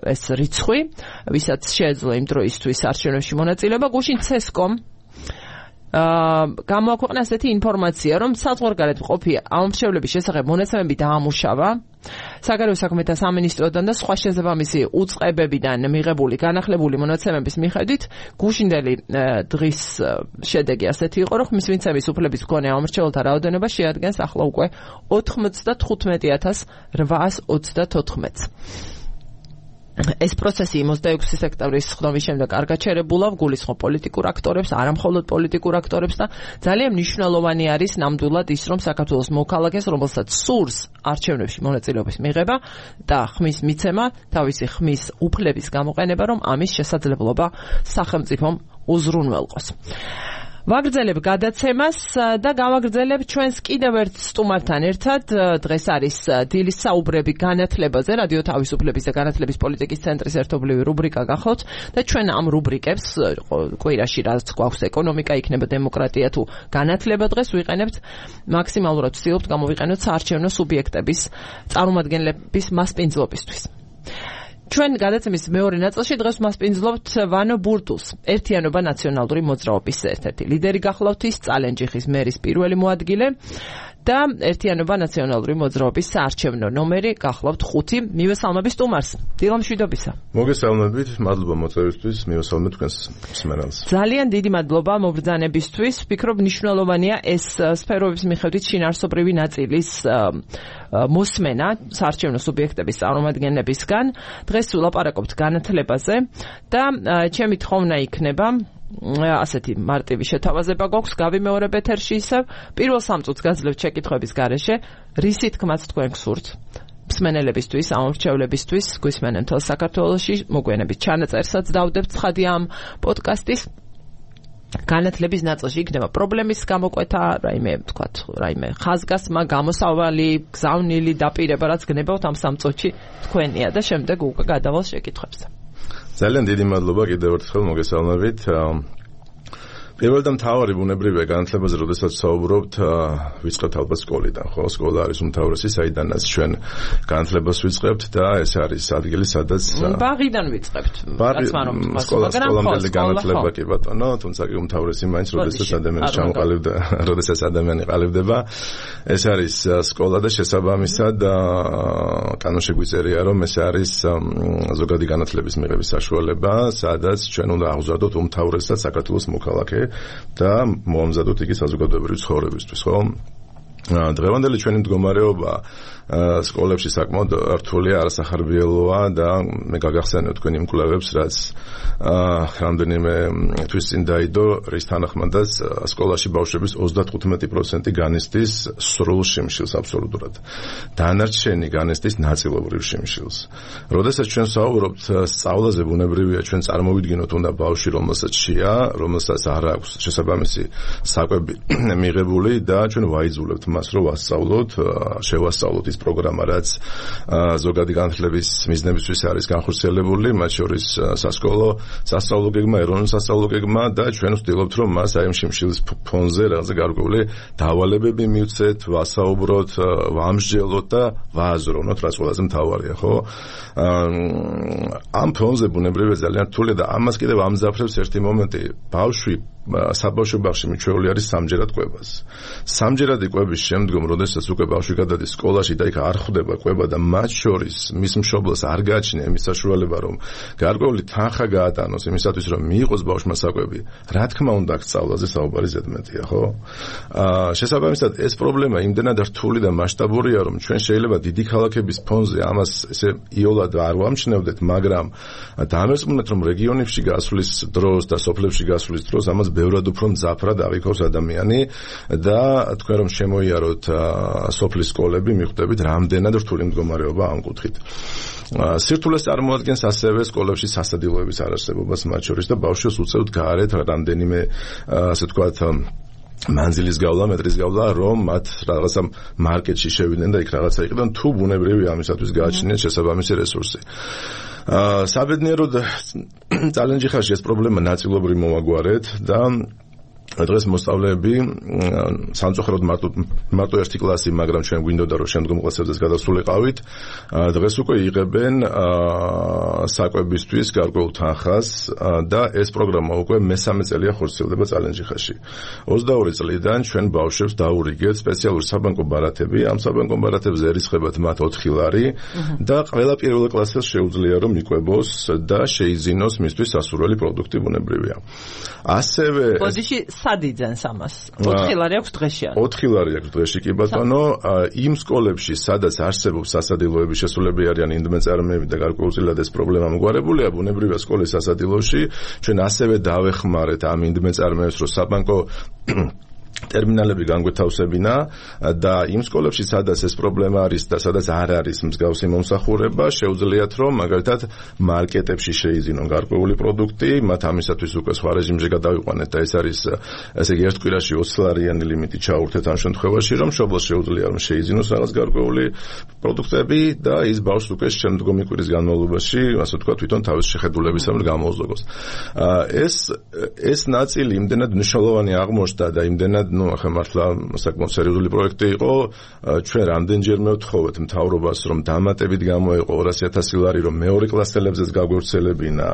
ეს რიცხვი, ვისაც შეეძლო იმ დროისთვის არჩევნებში მონაწილეობა. გუშინ CESCO-მ გამოაქვეყნა ასეთი ინფორმაცია, რომ საზღვარგარეთ მყოფი ამომრჩევლების შესახებ მონაცემები დაამუშავა საგარეო საქმეთა სამინისტროდან და სხვა შესაბამისი უწყებებიდან მიღებული განახლებული მონაცემების მიხედვით გუშინდელი დღის შედეგი ასეთი იყო, რომ ხმისმიცემის უფლების მქონე ამომრჩეველთა რაოდენობა შეადგენს ახლა უკვე 95,834-ს. ეს პროცესი 26 სექტემბრის სხდომის შემდეგ არ გაჩერებულა, გულისხმობ პოლიტიკურ აქტორებს, არა მხოლოდ პოლიტიკურ აქტორებს და ძალიან მნიშვნელოვანი არის ნამდვილად ის, რომ საქართველოს მოქალაქეს, რომელსაც სურს არჩევნებში მონაწილეობის მიღება და ხმის მიცემა, თავისი ხმის უფლების გამოყენება, რომ ამის შესაძლებლობა სახელმწიფომ უზრუნველყოს. ვაგრძელებ გადაცემას და გავაგრძელებ ჩვენს კიდევ ერთ სტუმართან ერთად. დღეს არის დილის საუბრები განათლებაზე, რადიო თავისუფლების და განათლების პოლიტიკის ცენტრის ერთობლივი რუბრიკა გახლავთ და ჩვენ ამ რუბრიკებს კვირაში რაც გვაქვს ეკონომიკა, იქნება დემოკრატია თუ განათლება, დღეს ვიყენებთ მაქსიმალურად ვცდილობთ გამოვიყენოთ საარჩევნო სუბიექტების წარმომადგენლების მასპინძლობისთვის. ჩვენ გადაცემის მეორე ნაწილში დღეს მასპინძლობთ ვანო ბურდულს, ერთიანობა ნაციონალური მოძრაობის ერთ-ერთი ლიდერი გახლავთ, ის წალენჯიხის მერის პირველი მოადგილე და ერთიანობა ნაციონალური მოძრაობის საარჩევნო ნომერი გახლავთ 5. მივესალმები სტუმარს. დილამშვიდობისა. მოგესალმებით, მადლობა მოწვევისთვის, მივესალმებ თქვენს მსმენელს. ძალიან დიდი მადლობა მობრძანებისთვის. ვფიქრობ მნიშვნელოვანია ეს სფეროების მიხედვით შინაარსობრივი ნაწილის მოსმენა საარჩევნო სუბიექტების წარმომადგენლებისგან. დღეს ვილაპარაკობთ განათლებაზე და ჩემი თხოვნა იქნება ასეთი მარტივი შეთავაზება გვაქვს, გავიმეორებ ეთერში ისევ. პირველ 3 წუთს გაძლევთ შეკითხვების გარეშე, რისი თქმაც თქვენ გსურთ მსმენელებისთვის, ამომრჩევლებისთვის, გვისმენენ მთელ საქართველოში, მოგვიანებით ჩანაწერსაც დავდებთ ცხადი ამ პოდკასტის. განათლების ნაწილში იქნება პრობლემის გამოკვეთა, რაიმე ხაზგასმა, გამოსავალი, გზავნილი, დაპირება, რაც გნებავთ ამ 3 წუთში თქვენია და შემდეგ უკვე გადავალ შეკითხვებზე. ძალიან დიდი მადლობა კიდევ ერთხელ მოგესალმებით. პირველ და მთავარი ბუნებრივია განათლებაზე, როდესაც საუბრობთ, ვიწყებთ ალბათ სკოლიდან, ხო? სკოლა არის უმთავრესი, საიდანაც ჩვენ განათლებას ვიწყებთ და ეს არის ადგილი, სადაც ბაღიდან ვიწყებთ. სკოლამდელი განათლება კი ბატონო, თუმცა კი უმთავრესი მაინც, როდესაც ადამიანი ყალიბდება, ეს არის სკოლა და შესაბამისად კანონში გვიწერია, რომ ეს არის ზოგადი განათლების მიღების საშუალება, სადაც ჩვენ უნდა აღზარდოთ უმთავრესად საქართველოს მოქალაქე და მოამზადოთ იგი საზოგადოებრივი ცხოვრებისთვის, ხო? დღევანდელი ჩვენი მდგომარეობა სკოლებში საკმაოდ რთულია, არასახარბიელოა და მე გაგახსენებ თქვენ იმ კვლევებს, რაც რამდენიმე თვის წინ დაიდო, რის თანახმადაც სკოლაში ბავშვების 35% განიცდის სრულ შიმშილს აბსოლუტურად. დანარჩენი განიცდის ნაწილობრივ შიმშილს. როდესაც ჩვენ საუბრობთ სწავლაზე, ბუნებრივია ჩვენ წარმოვიდგინოთ უნდა ბავშვი, რომელსაც შეა, რომელსაც არ აქვს შესაბამისი საკვები მიღებული და ჩვენ ვაიძულებთ მას, რომ ვასწავლოთ, შევასწავლოთ ის პროგრამა, რაც ზოგადი განათლების მიზნებისთვის არის განხორციელებული, მათ შორის სასწავლო გეგმა, ეროვნული სასწავლო გეგმა და ჩვენ ვცდილობთ, რომ მას აი ამ შიმშილის ფონზე რაღაცა გარკვეული დავალებები მივცეთ, ვასაუბროთ, ვამსჯელოთ და ვააზროვნოთ, რაც ყველაზე მთავარია, ხო? ამ ფონზე ბუნებრივია ძალიან რთულია და ამას კიდევ ამზაფრებს ერთი მომენტი, ბავშვი საბავშვო ბაღში მიჩვეული არის სამჯერად კვებას. სამჯერადი კვების შემდგომ, როდესაც უკვე ბავშვი გადადის სკოლაში და იქ არ ხვდება კვება და მათ შორის მის მშობლს არ გააჩნია იმის საშუალება, რომ გარკვეული თანხა გაატანოს იმისათვის, რომ მიიღოს ბავშვმა საკვები, რა თქმა უნდა, აქ სწავლაზე საუბარი ზედმეტია, ხო? შესაბამისად, ეს პრობლემა იმდენად რთული და მასშტაბურია, რომ ჩვენ შეიძლება დიდი ქალაქების ფონზე ამას ესე იოლად არ ვამჩნევდეთ, მაგრამ დამერწმუნეთ, რომ რეგიონებში გასვლის დროს და სოფლებში გასვლის დროს ამას ბევრად უფრო მძაფრად აღიქავს ადამიანი და თქვენ რომ შემოიაროთ სოფლის სკოლები, მიხვდებით რამდენად რთული მდგომარეობა ამ კუთხით. სირთულეს წარმოადგენს ასევე სკოლებში სასადილოების არარსებობას მათ შორის და ბავშვს უწევთ გარეთ რამდენიმე ასე ვთქვათ მანძილის გავლა, მეტრის გავლა, რომ მათ რაღაცა მარკეტში შევიდნენ და იქ რაღაცა იყიდონ, თუ ბუნებრივია ამისათვის გააჩნიათ შესაბამისი რესურსი. საბედნიეროდ ძალიან ჯიხარში ეს პრობლემა ნაწილობრივ მოვაგვარეთ და დღეს მოსწავლეები სამწუხაროდ მარტო ერთი კლასი, მაგრამ ჩვენ გვინდოდა რომ შემდგომ კლასებზეც გადასულიყავით, დღეს უკვე იღებენ საკვებისთვის გარკვეულ თანხას და ეს პროგრამა უკვე მესამე წელია ხორციელდება წალენჯიხაში. 22 წლიდან ჩვენ ბავშვებს დაურიგეთ სპეციალური საბანკო ბარათები, ამ საბანკო ბარათებზე ერისხებათ მათ 4 ლარი და ყველა პირველ კლასელს შეუძლია რომ იკვებოს და შეიძინოს მისთვის სასურველი პროდუქტი ბუნებრივია. ასევე სად იძენს ამას? 4 ლარი აქვს დღეში? 4 ლარი აქვს დღეში კი ბატონო, იმ სკოლებში, სადაც არსებობს სასადილოების შესულები არიან ინდმეწარმეები და გარკვეულწილად ეს პრობლემა მოგვარებულია, ბუნებრივია სკოლის სასადილოში, ჩვენ ასევე დავეხმარეთ ამ ინდმეწარმეებს, რომ საბანკო ტერმინალები განგვეთავსებინა და იმ სკოლებში, სადაც ეს პრობლემა არის და სადაც არ არის მსგავსი მომსახურება, შეუძლიათ რომ მაგალითად მარკეტებში შეიძინონ გარკვეული პროდუქტი, მათ ამისათვის უკვე სხვა რეჟიმში გადავიყვანეთ და ეს არის ესე იგი ერთ კვირაში 20 ლარიანი ლიმიტი ჩაურთეთ ამ შემთხვევაში, რომ მშობლს შეუძლია რომ შეიძინოს რაღაც გარკვეული პროდუქტები და ის ბავშვს უკვე შემდგომი კვირის განმავლობაში, ასე ვთქვათ, თვითონ თავის შეხედულებისამებრ გამოუზოგოს. ეს ნაწილი იმდენად მნიშვნელოვანი აღმოჩნდა და იმდენად ახლა მართლა საკმაოდ სერიოზული პროექტი იყო, ჩვენ რამდენჯერმე ვთხოვეთ მთავრობას, რომ დამატებით გამოეყო 200,000 ლარი, რომ მეორე კლასელებზეც გაგვევრცელებინა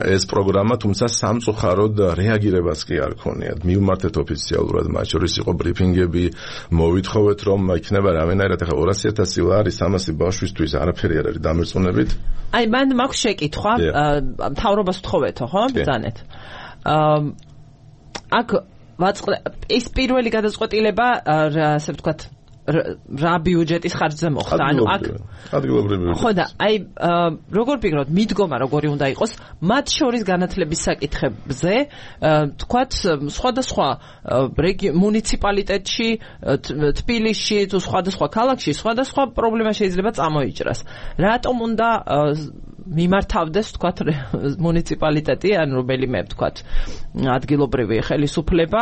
ეს პროგრამა, თუმცა სამწუხაროდ რეაგირებას კი არ ქონიათ. მივმართეთ ოფიციალურად, მათ შორის იყო ბრიფინგები, მოვითხოვეთ, რომ იქნება რამენერად ახლა 200,000 ლარი 300 ბავშვისთვის არაფერი არ არის დამერწმუნებით. აი, მან მაქვს შეკითხვა, მთავრობას ვთხოვეთო, ხო? ბრძანეთ. აქ ის პირველი გადაწყვეტილება, ასე ვთქვათ, რა ბიუჯეტის ხარჯზე მოხდა. ანუ აქ ადგილობრივი. ხო და აი როგორ ფიქრობთ, მიდგომა როგორი უნდა იყოს მათ შორის განათლების საკითხებზე, თქვათ, სხვადასხვა მუნიციპალიტეტში, თბილისში თუ სხვადასხვა ქალაქში სხვადასხვა პრობლემა შეიძლება წამოიჭრას. რატომ უნდა მიმართავდეს, თქვათ, მუნიციპალიტეტი, ან რომელიმე, თქვათ, ადგილობრივი ხელისუფლება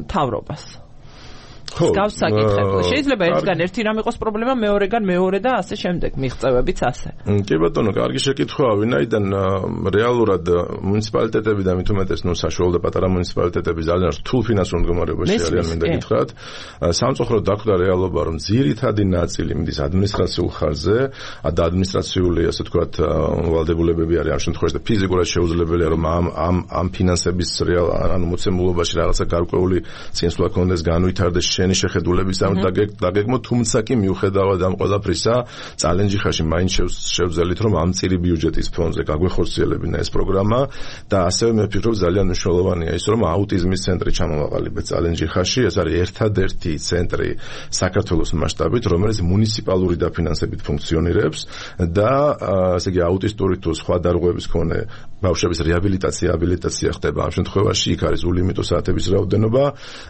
მთავრობას? გავს საკითხები. შეიძლება ერთგან ერთი რამ იყოს პრობლემა, მეორეგან მეორე და ასე შემდეგ, მიღწევებიც ასე. კი ბატონო, კარგი შეკითხვაა, ვინაიდან რეალურად მუნიციპალიტეტები და მით უმეტეს საშუალო და პატარა მუნიციპალიტეტები ძალიან რთულ ფინანსურ მდგომარეობაში არიან, მინდა გითხრათ. სამწუხაროდ დახვდა რეალობა, რომ ძირითადი ნაწილი მიდის ადმინისტრაციულ ხარჯზე და ადმინისტრაციული, ასე ვთქვათ, ვალდებულებები არის ამ შემთხვევაში და ფიზიკურად შეუძლებელია, რომ ამ ფინანსების ანუ მოცემულობაში რაღაცა გარკვეული წინსვლა კონდეს, განვითარდეს შენი შეხედულებისამ დაგეგმო, თუმცა კი მიუხედავად ამ ყველაფრისა, წალენჯი ხაში მაინც შევძელით, რომ ამ წირი ბიუჯეტის ფონდზე გაგვეხორციელებინა ეს პროგრამა და ასევე მე ვფიქრობ ძალიან მნიშვნელოვანია ის, რომ აუტიზმის ცენტრი ჩამოვაყალიბეთ წალენჯი ხაში, ეს არის ერთადერთი ცენტრი საქართველოს მასშტაბით, რომელიც მუნიციპალური დაფინანსებით ფუნქციონირებს და ესე იგი აუტისტური თუ სხვა დარღვევების მქონე ბავშვების რეაბილიტაცია ხდება ამ შემთხვევაში, იქ არის ულიმიტო საათების რაოდენობა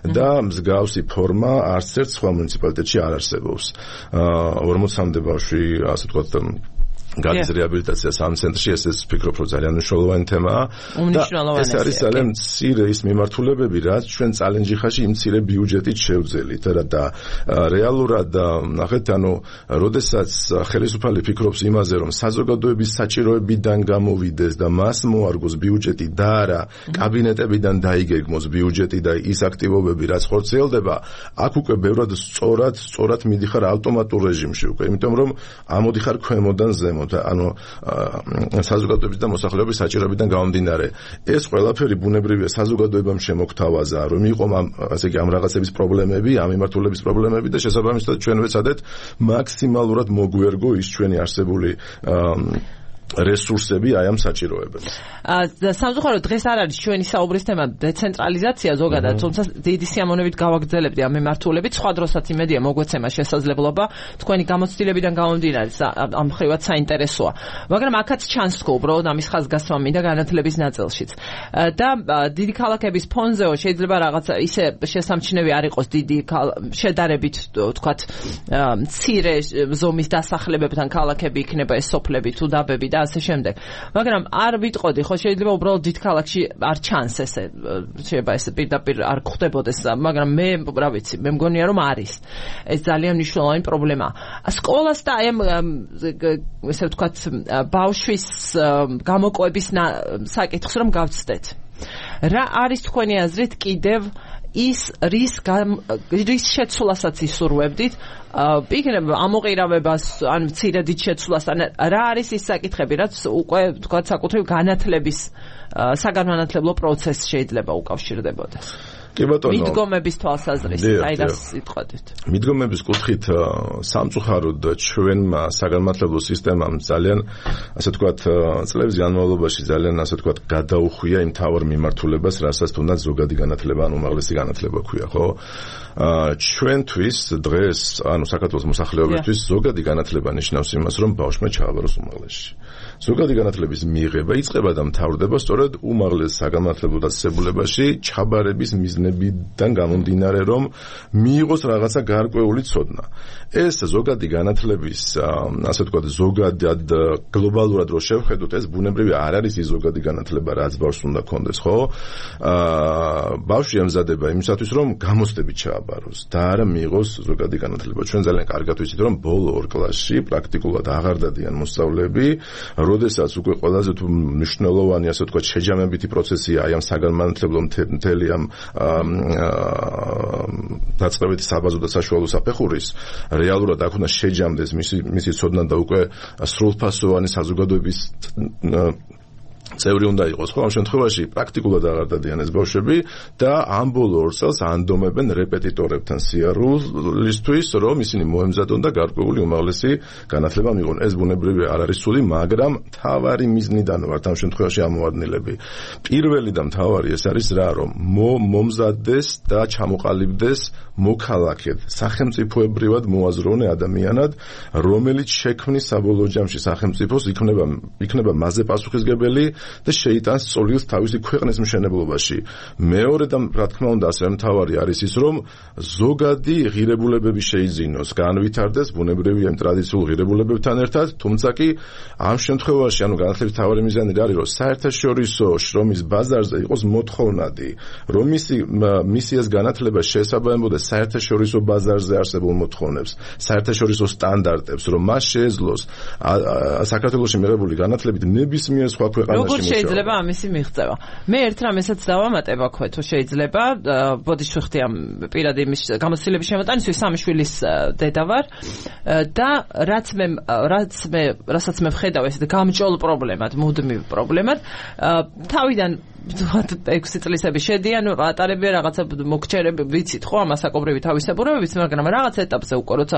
და მსგავსი ფორმა არც ერთ სხვა მუნიციპალიტეტში არ არსებობს. 40-მდე ბავშვი, ასე ვთქვათ, გადის რეაბილიტაციას ამ ცენტრში, ეს ვფიქრობ, რომ ძალიან მნიშვნელოვანი თემაა. ეს არის ძალიან მცირე ის მიმართულებები, რაც ჩვენ წალენჯი ხაში იმ მცირე ბიუჯეტით შევძელით და რეალურად ნახეთ, ანუ როდესაც ხელისუფალი ფიქრობს იმაზე, რომ საზოგადოების საჭიროებიდან გამოვიდეს და მას მოარგოს ბიუჯეტი და არა კაბინეტებიდან დაიგეგმოს ბიუჯეტი და ის აქტივობები, რაც ხორციელდება, აქ უკვე ბევრად სწორად მიდიხარ ავტომატურ რეჟიმში უკვე, იმიტომ რომ ამოდიხარ ქვემოდან ზემოთ, ანუ საზოგადოების და მოსახლეობის საჭიროებიდან გამომდინარე. ეს ყველაფერი ბუნებრივია საზოგადოებამ შემოგთავაზა, რომ იყო ასე იგი ამ რაღაცების პრობლემები, ამ მიმართულების პრობლემები და შესაბამისად ჩვენ ვეცადეთ მაქსიმალურად მოგვერგო ის ჩვენი არსებული რესურსები აი ამ საჭიროებებს. სამწუხაროდ დღეს არ არის ჩვენი საუბრის თემა დეცენტრალიზაცია ზოგადად, თუმცა დიდი სიამოვნებით გავაგრძელებდი ამ მიმართულებით, სხვა დროსაც იმედია მოგვეცემა შესაძლებლობა, თქვენი გამოცდილებიდან გამომდინარე ამ ხრივად საინტერესოა. მაგრამ აქაც ჩანს თქო უბრალოდ ამის ხაზგასმა მინდა განათლების ნაწილშიც. და დიდი ქალაქების ფონზეო შეიძლება რაღაცა ისე შესამჩნევი არ იყოს დიდი შედარებით ვთქვათ მცირე ზომის დასახლებებთან ქალაქები იქნება ეს სოფლები თუ დაბები და ასე შემდეგ. მაგრამ არ ვიტყოდი, ხო შეიძლება უბრალოდ დიდ ქალაქში არ ჩანს ესე, შეიძლება ეს პირდაპირ არ გვხდებოდეს, მაგრამ მე რა ვიცი, მე მგონია რომ არის. ეს ძალიან მნიშვნელოვანი პრობლემაა. სკოლას და აი ესე ვთქვათ ბავშვის გამოკვების საკითხს რომ გავცდეთ. რა არის თქვენი აზრით კიდევ ის რის შეცვლასაც ისურვებდით, იქნება ამოყირავებას, ან მცირედით შეცვლას, რა არის ის საკითხები, რაც უკვე თქვათ საკუთრივ განათლების საგანმანათლებლო პროცესს შეიძლება უკავშირდებოდეს. კი ბატონო, მიდგომების თვალსაზრისით, აი რას იტყოდით? მიდგომების კუთხით სამწუხაროდ ჩვენმა საგანმანათლებლო სისტემამ ძალიან, ასე ვთქვათ, წლების განმავლობაში ძალიან, ასე ვთქვათ, გადაუხვია იმ თავარ მიმართულებას, რასაც თუნდაც ზოგადი განათლება, ან უმაღლესი განათლება ქვია, ხო? ჩვენთვის დღეს, ანუ საქართველოს მოსახლეობისთვის ზოგადი განათლება ნიშნავს იმას, რომ ბავშვმა ჩააბაროს უმაღლესში. ზოგადი განათლების მიღება იწყება და მთავრდება სწორედ უმაღლეს საგანმანათლებლო დაწესებულებაში ჩაბარების მიზნებიდან გამომდინარე, რომ მიიღოს რაღაცა გარკვეული ცოდნა. ეს ზოგადი განათლების, ასე ვთქვათ, ზოგადად გლობალურად რო შევხედოთ, ეს ბუნებრივი არ არის ის ზოგადი განათლება, რაც ბავშვს უნდა კონდეს, ხო? ბავშვი ემზადება იმისათვის, რომ გამოცდებით ჩააბაროს და არა მიიღოს ზოგადი განათლება. ჩვენ ძალიან კარგად ვიცით, რომ ბოლო 2 კლასში პრაქტიკულად აღარ დადიან მოსწავლეები, როდესაც უკვე ყველაზე თუ მნიშვნელოვანი, ასე ვთქვათ, შეჯამებითი პროცესია აი ამ საგანმანათლებლო მთელი ამ დაწყებითი საბაზო და საშუალო საფეხურის, რეალურად აქ უნდა შეჯამდეს მისი ცოდნა და უკვე სრულფასოვანი საზოგადოების წევრი უნდა იყოს, ხო? ამ შემთხვევაში პრაქტიკულად აღარ დადიან ეს ბავშვები და ამ ბოლო 2 წელს ანდომებენ რეპეტიტორებთან სიარულისთვის, რომ ისინი მოემზადონ და გარკვეული უმაღლესი განათლება მიიღონ. ეს ბუნებრივი არ არის ცუდი, მაგრამ მთავარი მიზნიდან ვართ ამ შემთხვევაში ამოვარდნილები. პირველი და მთავარი ეს არის რა, რომ მომზადდეს და ჩამოყალიბდეს მოქალაქედ, სახელმწიფოებრივად მოაზროვნე ადამიანად, რომელიც შექმნის საბოლოო ჯამში სახელმწიფოს იქნება მასზე პასუხისმგებელი და შეიტანს წოლილს თავისი ქვეყნის მშენებლობაში. მეორე და რა თქმა უნდა ასევე მთავარი არის ის, რომ ზოგადი ღირებულებები შეიძინოს, განვითარდეს ბუნებრივი ამ ტრადიციულ ღირებულებებთან ერთად, თუმცა კი ამ შემთხვევაში განათლების მთავარი მიზანი არის, რომ საერთაშორისო შრომის ბაზარზე იყოს მოთხოვნადი, რომ მისი ეს განათლება შეესაბამებოდეს საერთაშორისო ბაზარზე არსებულ მოთხოვნებს, საერთაშორისო სტანდარტებს, რომ მას შეეძლოს საქართველოში მიღებული განათლებით ნებისმიერ სხვა ქვეყანაში როგორ შეიძლება ამისი მიღწევა? მე ერთ რამესაც დავამატებ აქვე, თუ შეიძლება, ბოდიში ვხდი ამ პირადი იმის გამოცდილების შემოტანისთვის, სამი შვილის დედა ვარ და რასაც მე ვხედავ ეს გამჭოლ პრობლემად, მუდმივ პრობლემად, თავიდან 6 წლისები შედიან, ატარებია რაღაცა მოგჩერები, ვიცით ხო, ამასაკობრივი თავისებურებებით, მაგრამ რაღაც ეტაპზე უკვე როცა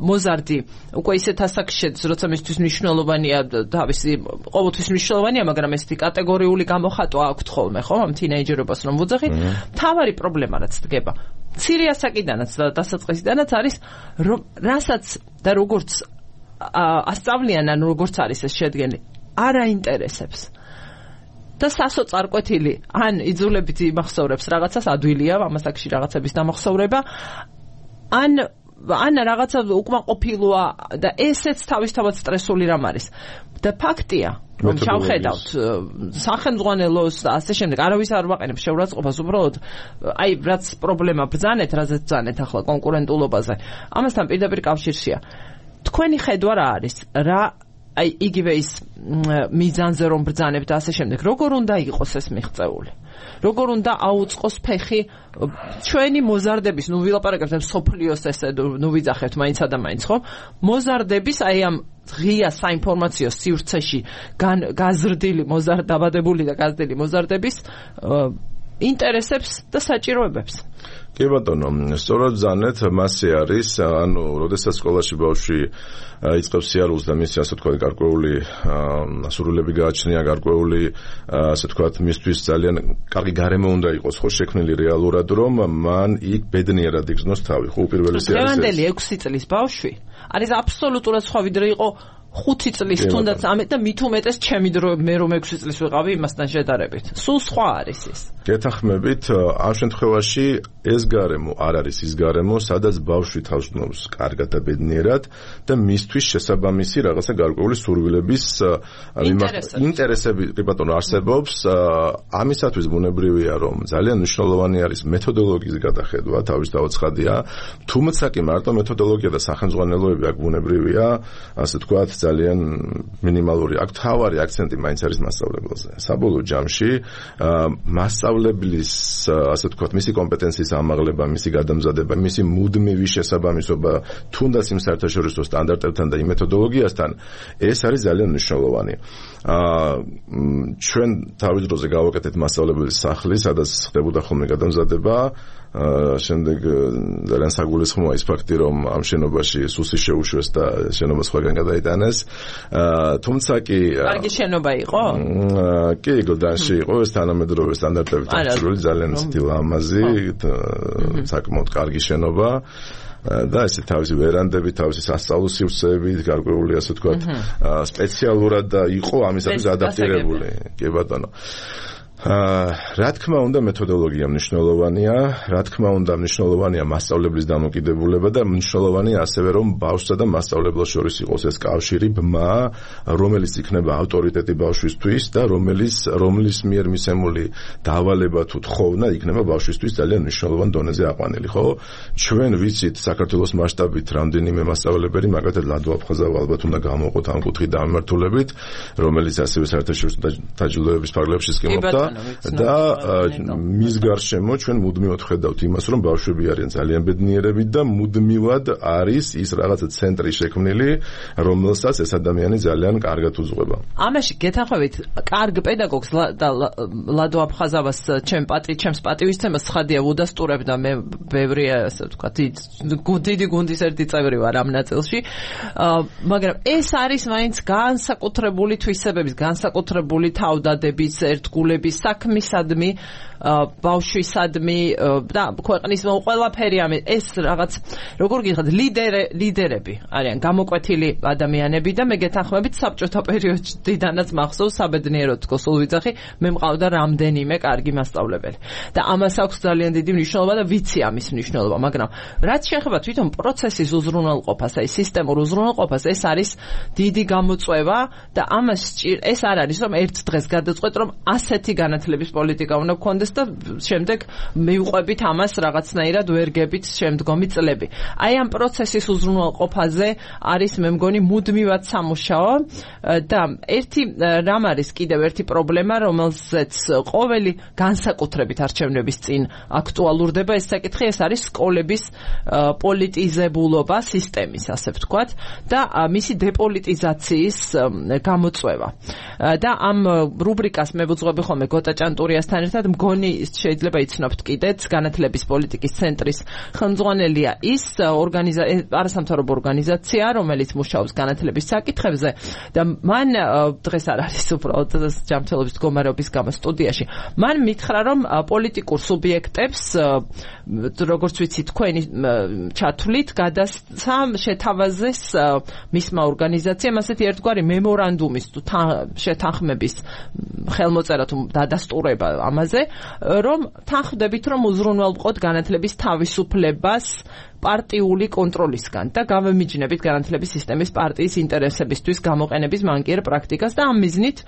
მოზარდი უკვე ისეთ ასაკში შედის, როცა მისთვის მნიშვნელოვანია თავისი ყოველთვის მნიშვნელოვანია, მაგრამ ესეთი კატეგორიული გამოხატვა აქვთ ხოლმე, ხო, ამ თინეიჯერობას რომ ვუძახით, მთავარი პრობლემა რაც დგება. მცირე ასაკიდანაც და დასაწყისიდანაც არის, რომ რასაც და როგორც ასწავლიან, ან როგორც არის ეს შედგენი, არ აინტერესებს. და სასოწარკვეთილი ან იძულებით იმახსოვრებს რაღაცას ადვილია ამასაკში რაღაცების დამახსოვრება ან რაღაცა უკმაყოფილოა და ესეც თავისთავად სტრესული რამ არის და ფაქტია რომ ჩავხედავთ სახელმძღვანელოს და ასე შემდეგ არავის არ ვაყენებ შეურაცხყოფას უბრალოდ აი რაც პრობლემა ბრძანეთ რაზეც ბრძანეთ ახლა კონკურენტულობაზე ამასთან პირდაპირ კავშირშია თქვენი ხედვა რა არის რა აი იგივე ის მიზანზე რომ ბრძანებთ და ასე შემდეგ როგორ უნდა იყოს ეს მიღწეული როგორ უნდა აუწყოს ფეხი ჩვენი მოზარდების ნუ ვილაპარაკებთ სოფლიოს ესე ნუ ვიძახებთ მაინცა და მაინც ხო მოზარდების აი ამ ღია საინფორმაციო სივრცეში გაზრდილი დაბადებული და გაზრდილი მოზარდების ინტერესებს და საჭიროებებს კი ბატონო, სწორად ბრძანეთ, მასე არის, ანუ, როდესაც სკოლაში ბავშვი იწყებს სიარულს და მისი ასე თქვა გარკვეული სურვილები გააჩნია, გარკვეული ასე თქვა მისთვის ძალიან კარგი გარემო უნდა იყოს, ხო შექმნილი რეალურად, რომ მან იქ ბედნიერად იგრძნოს თავი, ხო უპირველესი არის ეს. დღევანდელი 6 წლის ბავშვი არის აბსოლუტურად სხვა ვიდრე იყო 5 წლის თუნდაც ამეთ და მით უმეტეს ჩემი დრო მე რომ 6 წლის ვიყავი იმასთან შედარებით. სულ სხვა არის ეს. გეთახმებით, ამ შემთხვევაში ეს გარემო არ არის ის გარემო, სადაც ბავშვი თავს გნობს კარგად და ბედნიერად და მისთვის შესაბამისი რაღაცა გარკვეული სურვილების ინტერესები კი ბატონო არსებობს. ამისათვის ბუნებრივია, რომ ძალიან მნიშვნელოვანი არის მეთოდოლოგიის გადახედვა, თავისთავად ცხადია, თუმცა კი მარტო მეთოდოლოგია და სახელმძღვანელოები აქ ბუნებრივია, ასე თქვათ ძალიან მინიმალური. აქ თავარი აქცენტი მაინც არის მასწავლებლაზე. საბოლოო ჯამში მასწავლებლის ასე თქვათ მისი კომპეტენციის ამაღლება, მისი გადამზადება, მისი მუდმივი შესაბამისობა თუნდაც იმ საერთაშორისო სტანდარტებთან და იმ მეთოდოლოგიასთან, ეს არის ძალიან მნიშვნელოვანი. ჩვენ თავის დროზე გავაკეთეთ მასწავლებლის სახლი, სადაც ხდებოდა ხოლმე გადამზადება. შემდეგ ძალიან საგულისხმოა ის ფაქტი, რომ ამ შენობაში სუსი შეუშვეს და შენობა სხვაგან გადაიტანეს. თუმცა კი კარგი შენობა იყო? კი, გლდანში იყო, ეს თანამედროვე სტანდარტებით აღჭურვილი, ძალიან სტილამაზი, საკმაოდ კარგი შენობა. და ესე თავისი ვერანდები, თავისი სასწავლო სივრცეები, გარკვეული ასე ვთქვათ, სპეციალურად იყო ამისათვის ადაპტირებული. კი ბატონო. რა თქმა უნდა მეთოდოლოგია მნიშვნელოვანია, რა თქმა უნდა მნიშვნელოვანია მასწავლებლის დამოკიდებულება და მნიშვნელოვანია ასევე რომ ბავშვსა და მასწავლებლას შორის იყოს ეს კავშირი, ბმა, რომელიც იქნება ავტორიტეტი ბავშვისთვის და რომლის მიერ მისცემული დავალება თუ თხოვნა იქნება ბავშვისთვის ძალიან მნიშვნელოვან დონეზე აყვანილი, ხო? ჩვენ ვიცით საქართველოს მასშტაბით რამდენიმე მასწავლებელი, მაგალითად ლადო აფხაზავა ალბათ უნდა გამოვყოთ ამ კუთხით დამმართულებით, რომელიც ასევე საერთაშორისო დაჯილდოების ფარგლებში სკემობდა და მის გარშემო ჩვენ მუდმივად ხედავთ იმას, რომ ბავშვები არიან ძალიან ბედნიერები და მუდმივად არის ის რაღაცა ცენტრი შექმნილი, რომელსაც ეს ადამიანი ძალიან კარგად უძღვება. ამაში გეთანხმებით, კარგ პედაგოგს და ლადო აფხაზავას ჩემს პატივისცემას ცხადია უდასტურებ და მე ბევრი ასე ვთქვათ, დიდი გუნდის ერთი წევრი ვარ ამ ნაწილში, მაგრამ ეს არის მაინც განსაკუთრებული თვისებების, განსაკუთრებული თავდადების, ერთგულების საქმისადმი ბავშვისადმი და ქვეყნის ყველაფერი ეს რაღაც როგორ გიხართ ლიდერები არიან გამოკვეთილი ადამიანები და მე გეთანხმებით საბჭოთა პერიოდიდანაც მახსოვს საბედნიეროდ გოსულ ვიძახი მე მყავდა რამდენიმე კარგი მასწავლებელი და ამას აქვს ძალიან დიდი მნიშვნელობა და ვიცი ამის მნიშვნელობა მაგრამ რაც შეეხება თვითონ პროცესის უზრუნველყოფას აი სისტემურ უზრუნველყოფას ეს არის დიდი გამოწვევა და ამას ეს არ არის რომ ერთ დღეს გადაწყვეტ რომ ასეთი განათლების პოლიტიკა უნდა გქონდეს და შემდეგ მივყვებით ამას რაღაცნაირად ვერ გებით შემდგომი წლები აი ამ პროცესის უზრუნველყოფაზე არის მე მგონი მუდმივად სამუშაო და ერთი რამ არის კიდევ ერთი პრობლემა რომელზეც ყოველი განსაკუთრებით არჩევნების წინ აქტუალურდება ეს საკითხი ეს არის სკოლების პოლიტიზებულობა სისტემის ასე ვთქვათ და მისი დეპოლიტიზაციის გამოწვევა და ამ რუბრიკას მე ვუძღვები ხოლმე გოტა ჭანტურიასთან ერთად მგონი შეიძლება იცნობთ კიდეც განათლების პოლიტიკის ცენტრის ხელმძღვანელია ის არასამთავრობო ორგანიზაცია რომელიც მუშაობს განათლების საკითხებზე და მან დღეს არ არის უბრალოდ ჯანმრთელობის მდგომარეობის გამო სტუდიაში მან მითხრა რომ პოლიტიკურ სუბიექტებს როგორც ვიცი თქვენი ჩათვლით გადასცა შეთავაზეს მისმა ორგანიზაციამ ასეთი ერთგვარი მემორანდუმის შეთანხმების ხელმოწერა თუ დადასტურება ამაზე რომ თანხმდებით რომ უზრუნველყოთ განათლების თავისუფლებას პარტიული კონტროლისგან და გამომიჯნებით განათლების სისტემის პარტიის ინტერესებისთვის გამოყენების მანკიერ პრაქტიკას და ამ მიზნით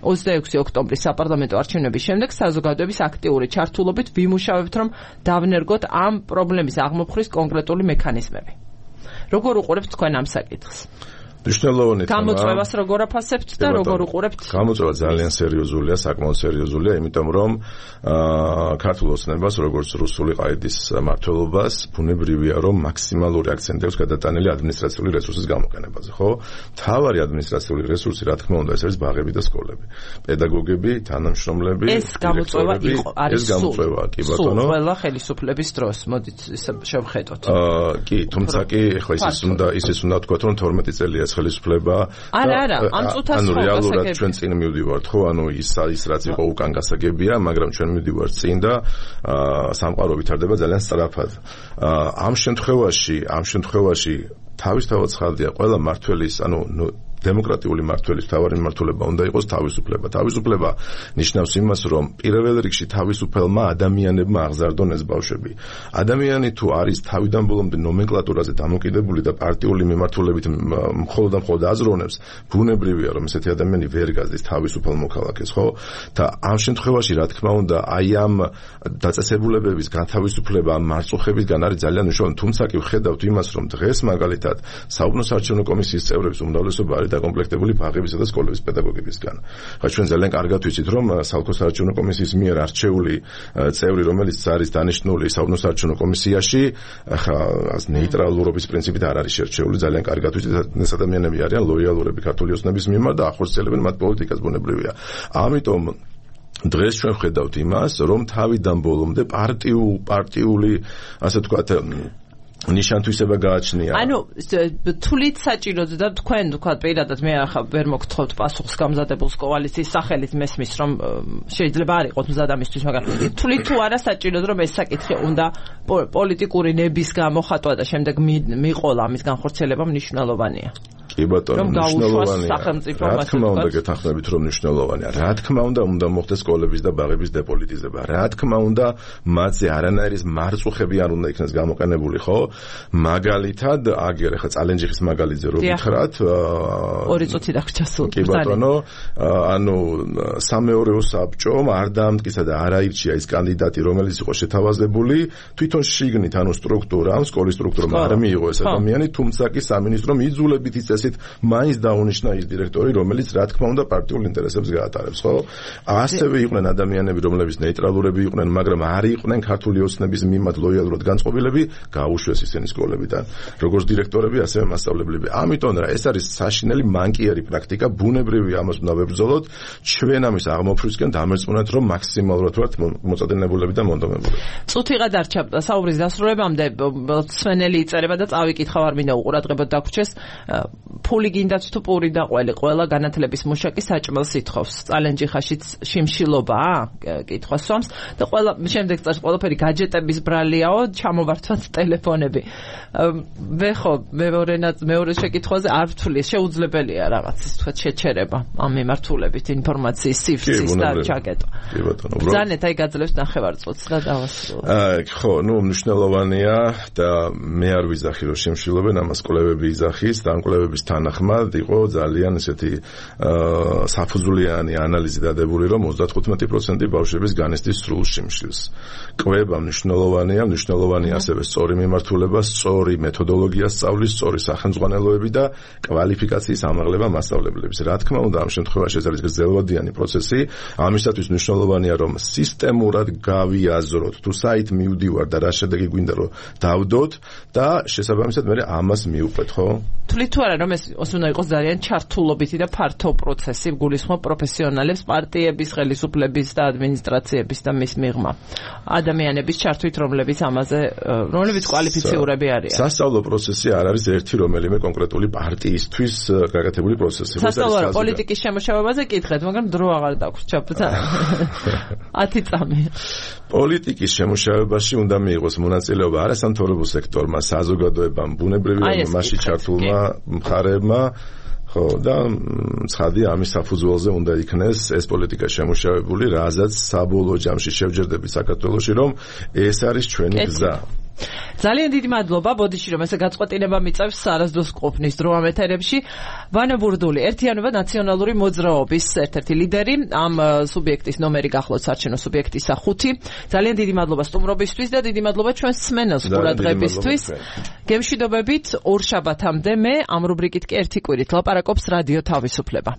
26 ოქტომბრის საპარლამენტო არჩევნების შემდეგ საზოგადოების აქტიური ჩართულობით ვიმუშავებთ რომ დავნერგოთ ამ პრობლემის აღმოფხრის კონკრეტული მექანიზმები. როგორ უყურებთ თქვენ ამ საკითხს? მნიშვნელოვანი თემა. გამოწვევას როგორ აფასებთ და როგორ უყურებთ? გამოწვევა ძალიან სერიოზულია, საკმაოდ სერიოზულია, იმიტომ რომ ქართულ ოცნებას, როგორც რუსული ყაიდის მმართველობას, ბუნებრივია რომ მაქსიმალური აქცენტი აქვს გადატანილი ადმინისტრაციული რესურსის გამოყენებაზე, ხო? მთავარი ადმინისტრაციული რესურსი, რა თქმა უნდა, ეს არის ბაღები და სკოლები. პედაგოგები, თანამშრომლები, ეს გამოწვევა არის კი ბატონო. ყველა ხელისუფლების დროს, მოდით შევხედოთ. კი, თუმცა კი ეხლა ის უნდა ვთქვათ რომ 12 წელია ხელისუფლება არა ამ წუთას ანუ რეალურად ჩვენ წინ მივდივართ ხო ანუ ის რაც იყო უკან გასაგებია მაგრამ ჩვენ მივდივართ წინ და სამყარო ვითარდება ძალიან სწრაფად ამ შემთხვევაში თავისთავად ცხადია ყველა მმართველის ანუ დემოკრატიული მმართველის თავარი მმართველობა უნდა იყოს თავისუფლება. თავისუფლება ნიშნავს იმას, რომ პირველ რიგში თავისუფლმა ადამიანებმა აღზარდონ ეს ბავშვები. ადამიანი თუ არის თავიდან ბოლომდე ნომენკლატურაზე დამოკიდებული და პარტიული მიმართულებით მხოლოდ და მხოლოდ აზროვნებს, ბუნებრივია, რომ ესეთი ადამიანი ვერ გაზდის თავისუფალ მოქალაქეს, ხო? და ამ შემთხვევაში, რა თქმა უნდა, აი ამ დაწესებულებების განთავისუფლება მარწუხებისგან არის ძალიან მნიშვნელოვანი. თუმცა კი ვხედავთ იმას, რომ დღეს მაგალითად საუბნო საარჩევნო კომისიის წევრების უმრავლესობა არის დაკომპლექტებული ბაღებისა და სკოლების პედაგოგებისგან. ხა ჩვენ ძალიან კარგად ვიცით, რომ საოლქო საარჩევნო კომისიის მიერ არჩეული წევრი, რომელიც არის დანიშნული საუბნო საარჩევნო კომისიაში, ხა ნეიტრალურობის პრინციპით არ არის შერჩეული, ძალიან კარგად ვიცით, ეს ადამიანები არიან ლოიალურები ქართული ოცნების მიმართ და ახორციელებენ მათ პოლიტიკას, ბუნებრივია. ამიტომ დღეს ჩვენ ვხედავთ იმას, რომ თავიდან ბოლომდე პარტიული, ასე ვთქვათ, ნიშანთვისება გააჩნია. ანუ თulit საჭიროა და თქვენ თქვა პირადად მე ახლა ვერ მოგთხოვთ პასუხს გამზადებულს კოალიციის სახელით მესმის რომ შეიძლება არ იყოთ მზადამისთვის მაგრამ თulit თუ არა საჭიროა რომ ეს საკითხი უნდა პოლიტიკური ნების გამოხატვა და შემდეგ მიყოლა ამის განხორციელება მნიშვნელოვანია. კი ბატონო, მნიშვნელოვანია. რა თქმა უნდა გეთანხმებით რომ მნიშვნელოვანია. რა თქმა უნდა მოხდეს სკოლების და ბაღების დეპოლიტიზება. რა თქმა უნდა მათზე არანაირი მარწუხები არ უნდა იქნეს გამოყენებული, ხო? მაგალითად, აგერ ახლა წალენჯიხის მაგალითზე რო გითხრათ, 2 წუთი დაგვრჩა სულ. კი ბატონო, ანუ სამეურვეო საბჭომ არ დაამტკიცა და არ აირჩია ის კანდიდატი, რომელიც იყო შეთავაზებული, თვითონ შიგნით, ანუ სტრუქტურამ, სკოლის სტრუქტურამ არ მიიღო ეს ადამიანი, თუმცა კი სამინისტრომ იძულებით იწესით მაინც დაუნიშნა ის დირექტორი, რომელიც რა თქმა უნდა პარტიულ ინტერესებს გაატარებს, ხო? ასევე იყვნენ ადამიანები, რომლებიც ნეიტრალურები იყვნენ, მაგრამ არ იყვნენ ქართული ოცნების მიმართ ლოიალურად განწყობილები, გაუშვეს ისინი სკოლებიდან, როგორც დირექტორები, ასევე მასწავლებლები. ამიტომ რა, ეს არის საშინელი მანკიერი პრაქტიკა, ბუნებრივია ამას უნდა ვებრძოლოთ, ჩვენ ამის აღმოფხვისკენ დამერწმუნეთ, რომ მაქსიმალურად ვართ მოწადენებულები და მონდომებულები. წუთი გადარჩა საუბრის დასრულებამდე, სვენელი იწერება და წავიკითხავ არ მინდა უყურადღებოდ დაგვრჩეს. ფული გინდათ თუ პური და ყველი ყველა განათლების მუშაკი საჭმელს ითხოვს. წალენჯი ხაშიც შიმშილობაა? კითხვა სვამს და ყველა შემდეგ წელს ყველაფერი გაჯეტების ბრალიაო, ჩამოვართვათ ტელეფონები. მეორე შეკითხვაზე არ ვთვლი, შეუძლებელია რაღაც თქვა შეჩერება ამ მიმართულებით ინფორმაციის სივრცის და ჩაკეტვა. კი ბატონო. ბრძანეთ აი გაძლევს ნახევარწუთს და დავასრულოთ. ხო, მნიშვნელოვანია და მე არ ვიზახი რომ შემშილობენ ამას კვლევები იზახის და ამ კვლევების თანახმად იყო ძალიან ესეთი საფუძვლიანი ანალიზი დადებული რომ 35% ბავშვების განიცდის სრულ შიმშილს. კვლევა მნიშვნელოვანია ასევე სწორი მიმართულება, სწორი მეთოდოლოგია სწავლის, სწორი სახელმძღვანელოები და კვალიფიკაციის ამაღლება მასწავლებლების. რა თქმა უნდა, ამ შემთხვევაში ეს არის გრძელვადიანი პროცესი, ამისათვის მნიშვნელოვანია რომ სისტემურად გავიაზროთ თუ საით მივდივარ და რა შედეგი გვინდა რომ დავდოთ და შესაბამისად მე ამას მივყვეთ, ხო? თვლით თუ არა რომ ეს უნდა იყოს ძალიან ჩართულობითი და ფართო პროცესი, გულისხმობ პროფესიონალებს, პარტიების, ხელისუფლების და ადმინისტრაციების და მის მიღმა ადამიანების ჩართვით, რომლებიც კვალიფიციურები არიან. სასწავლო პროცესი არ არის ერთი რომელიმე კონკრეტული პარტიისთვის გაკეთებული პროცესი. სასწავლო პოლიტიკის შემოშევებაზე კითხეთ, მაგრამ დრო აღარ დაგვს ჩაფუთა. 10 წამი. პოლიტიკის შემოშევებაში უნდა მიიღოს მონაწილეობა არასამთავრობო სექტორმა, საზოგადოებამ, ბუნებრივი მასში ჩართულმა მხარეებმა, ხო და ცხადია ამის საფუძველზე უნდა იქნეს ეს პოლიტიკა შემოშევებული, რაზეც საბოლოო ჯამში შევჯერდები საქართველოში, რომ ეს არის ჩვენი გზა. ძალიან დიდი მადლობა, ბოდიში რომ ესე გაწყვეტილება მიწევს არასდროს ყოფნის დრო ამ ეთერებში. ვანო ბურდული, ერთიანობა ნაციონალური მოძრაობის ერთ-ერთი ლიდერი, ამ სუბიექტის ნომერი გახლავთ საარჩევნო სუბიექტისა 5. ძალიან დიდი მადლობა სტუმრობისთვის და დიდი მადლობა ჩვენს სმენელს ყურადღებისთვის. გემშვიდობებით ორ შაბათამდე მე ამ რუბრიკით კი ერთი კვირით ლაპარაკობს რადიო თავისუფლება.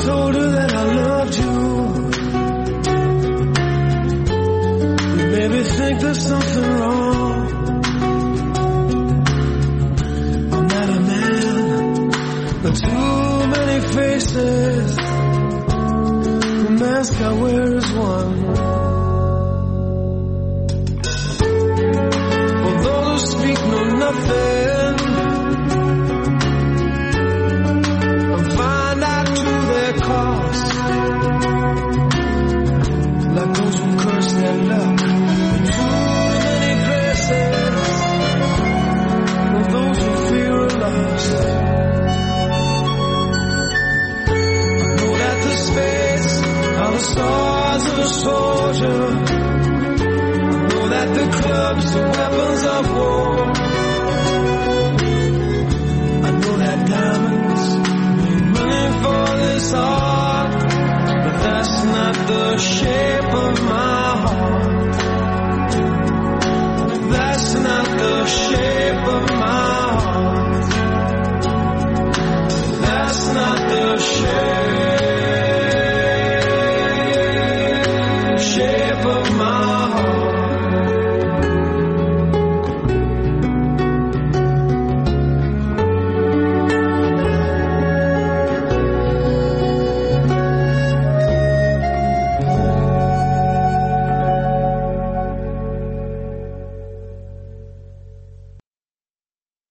told her that I loved you. You made me think there's something wrong. I'm not a man with too many faces. The mask I wear is one. For those who speak know nothing and find out to their cost, like those who curse their luck in too many places. For those who fear are lost, I know that the spades are the stars of a soldier. I know that the clubs are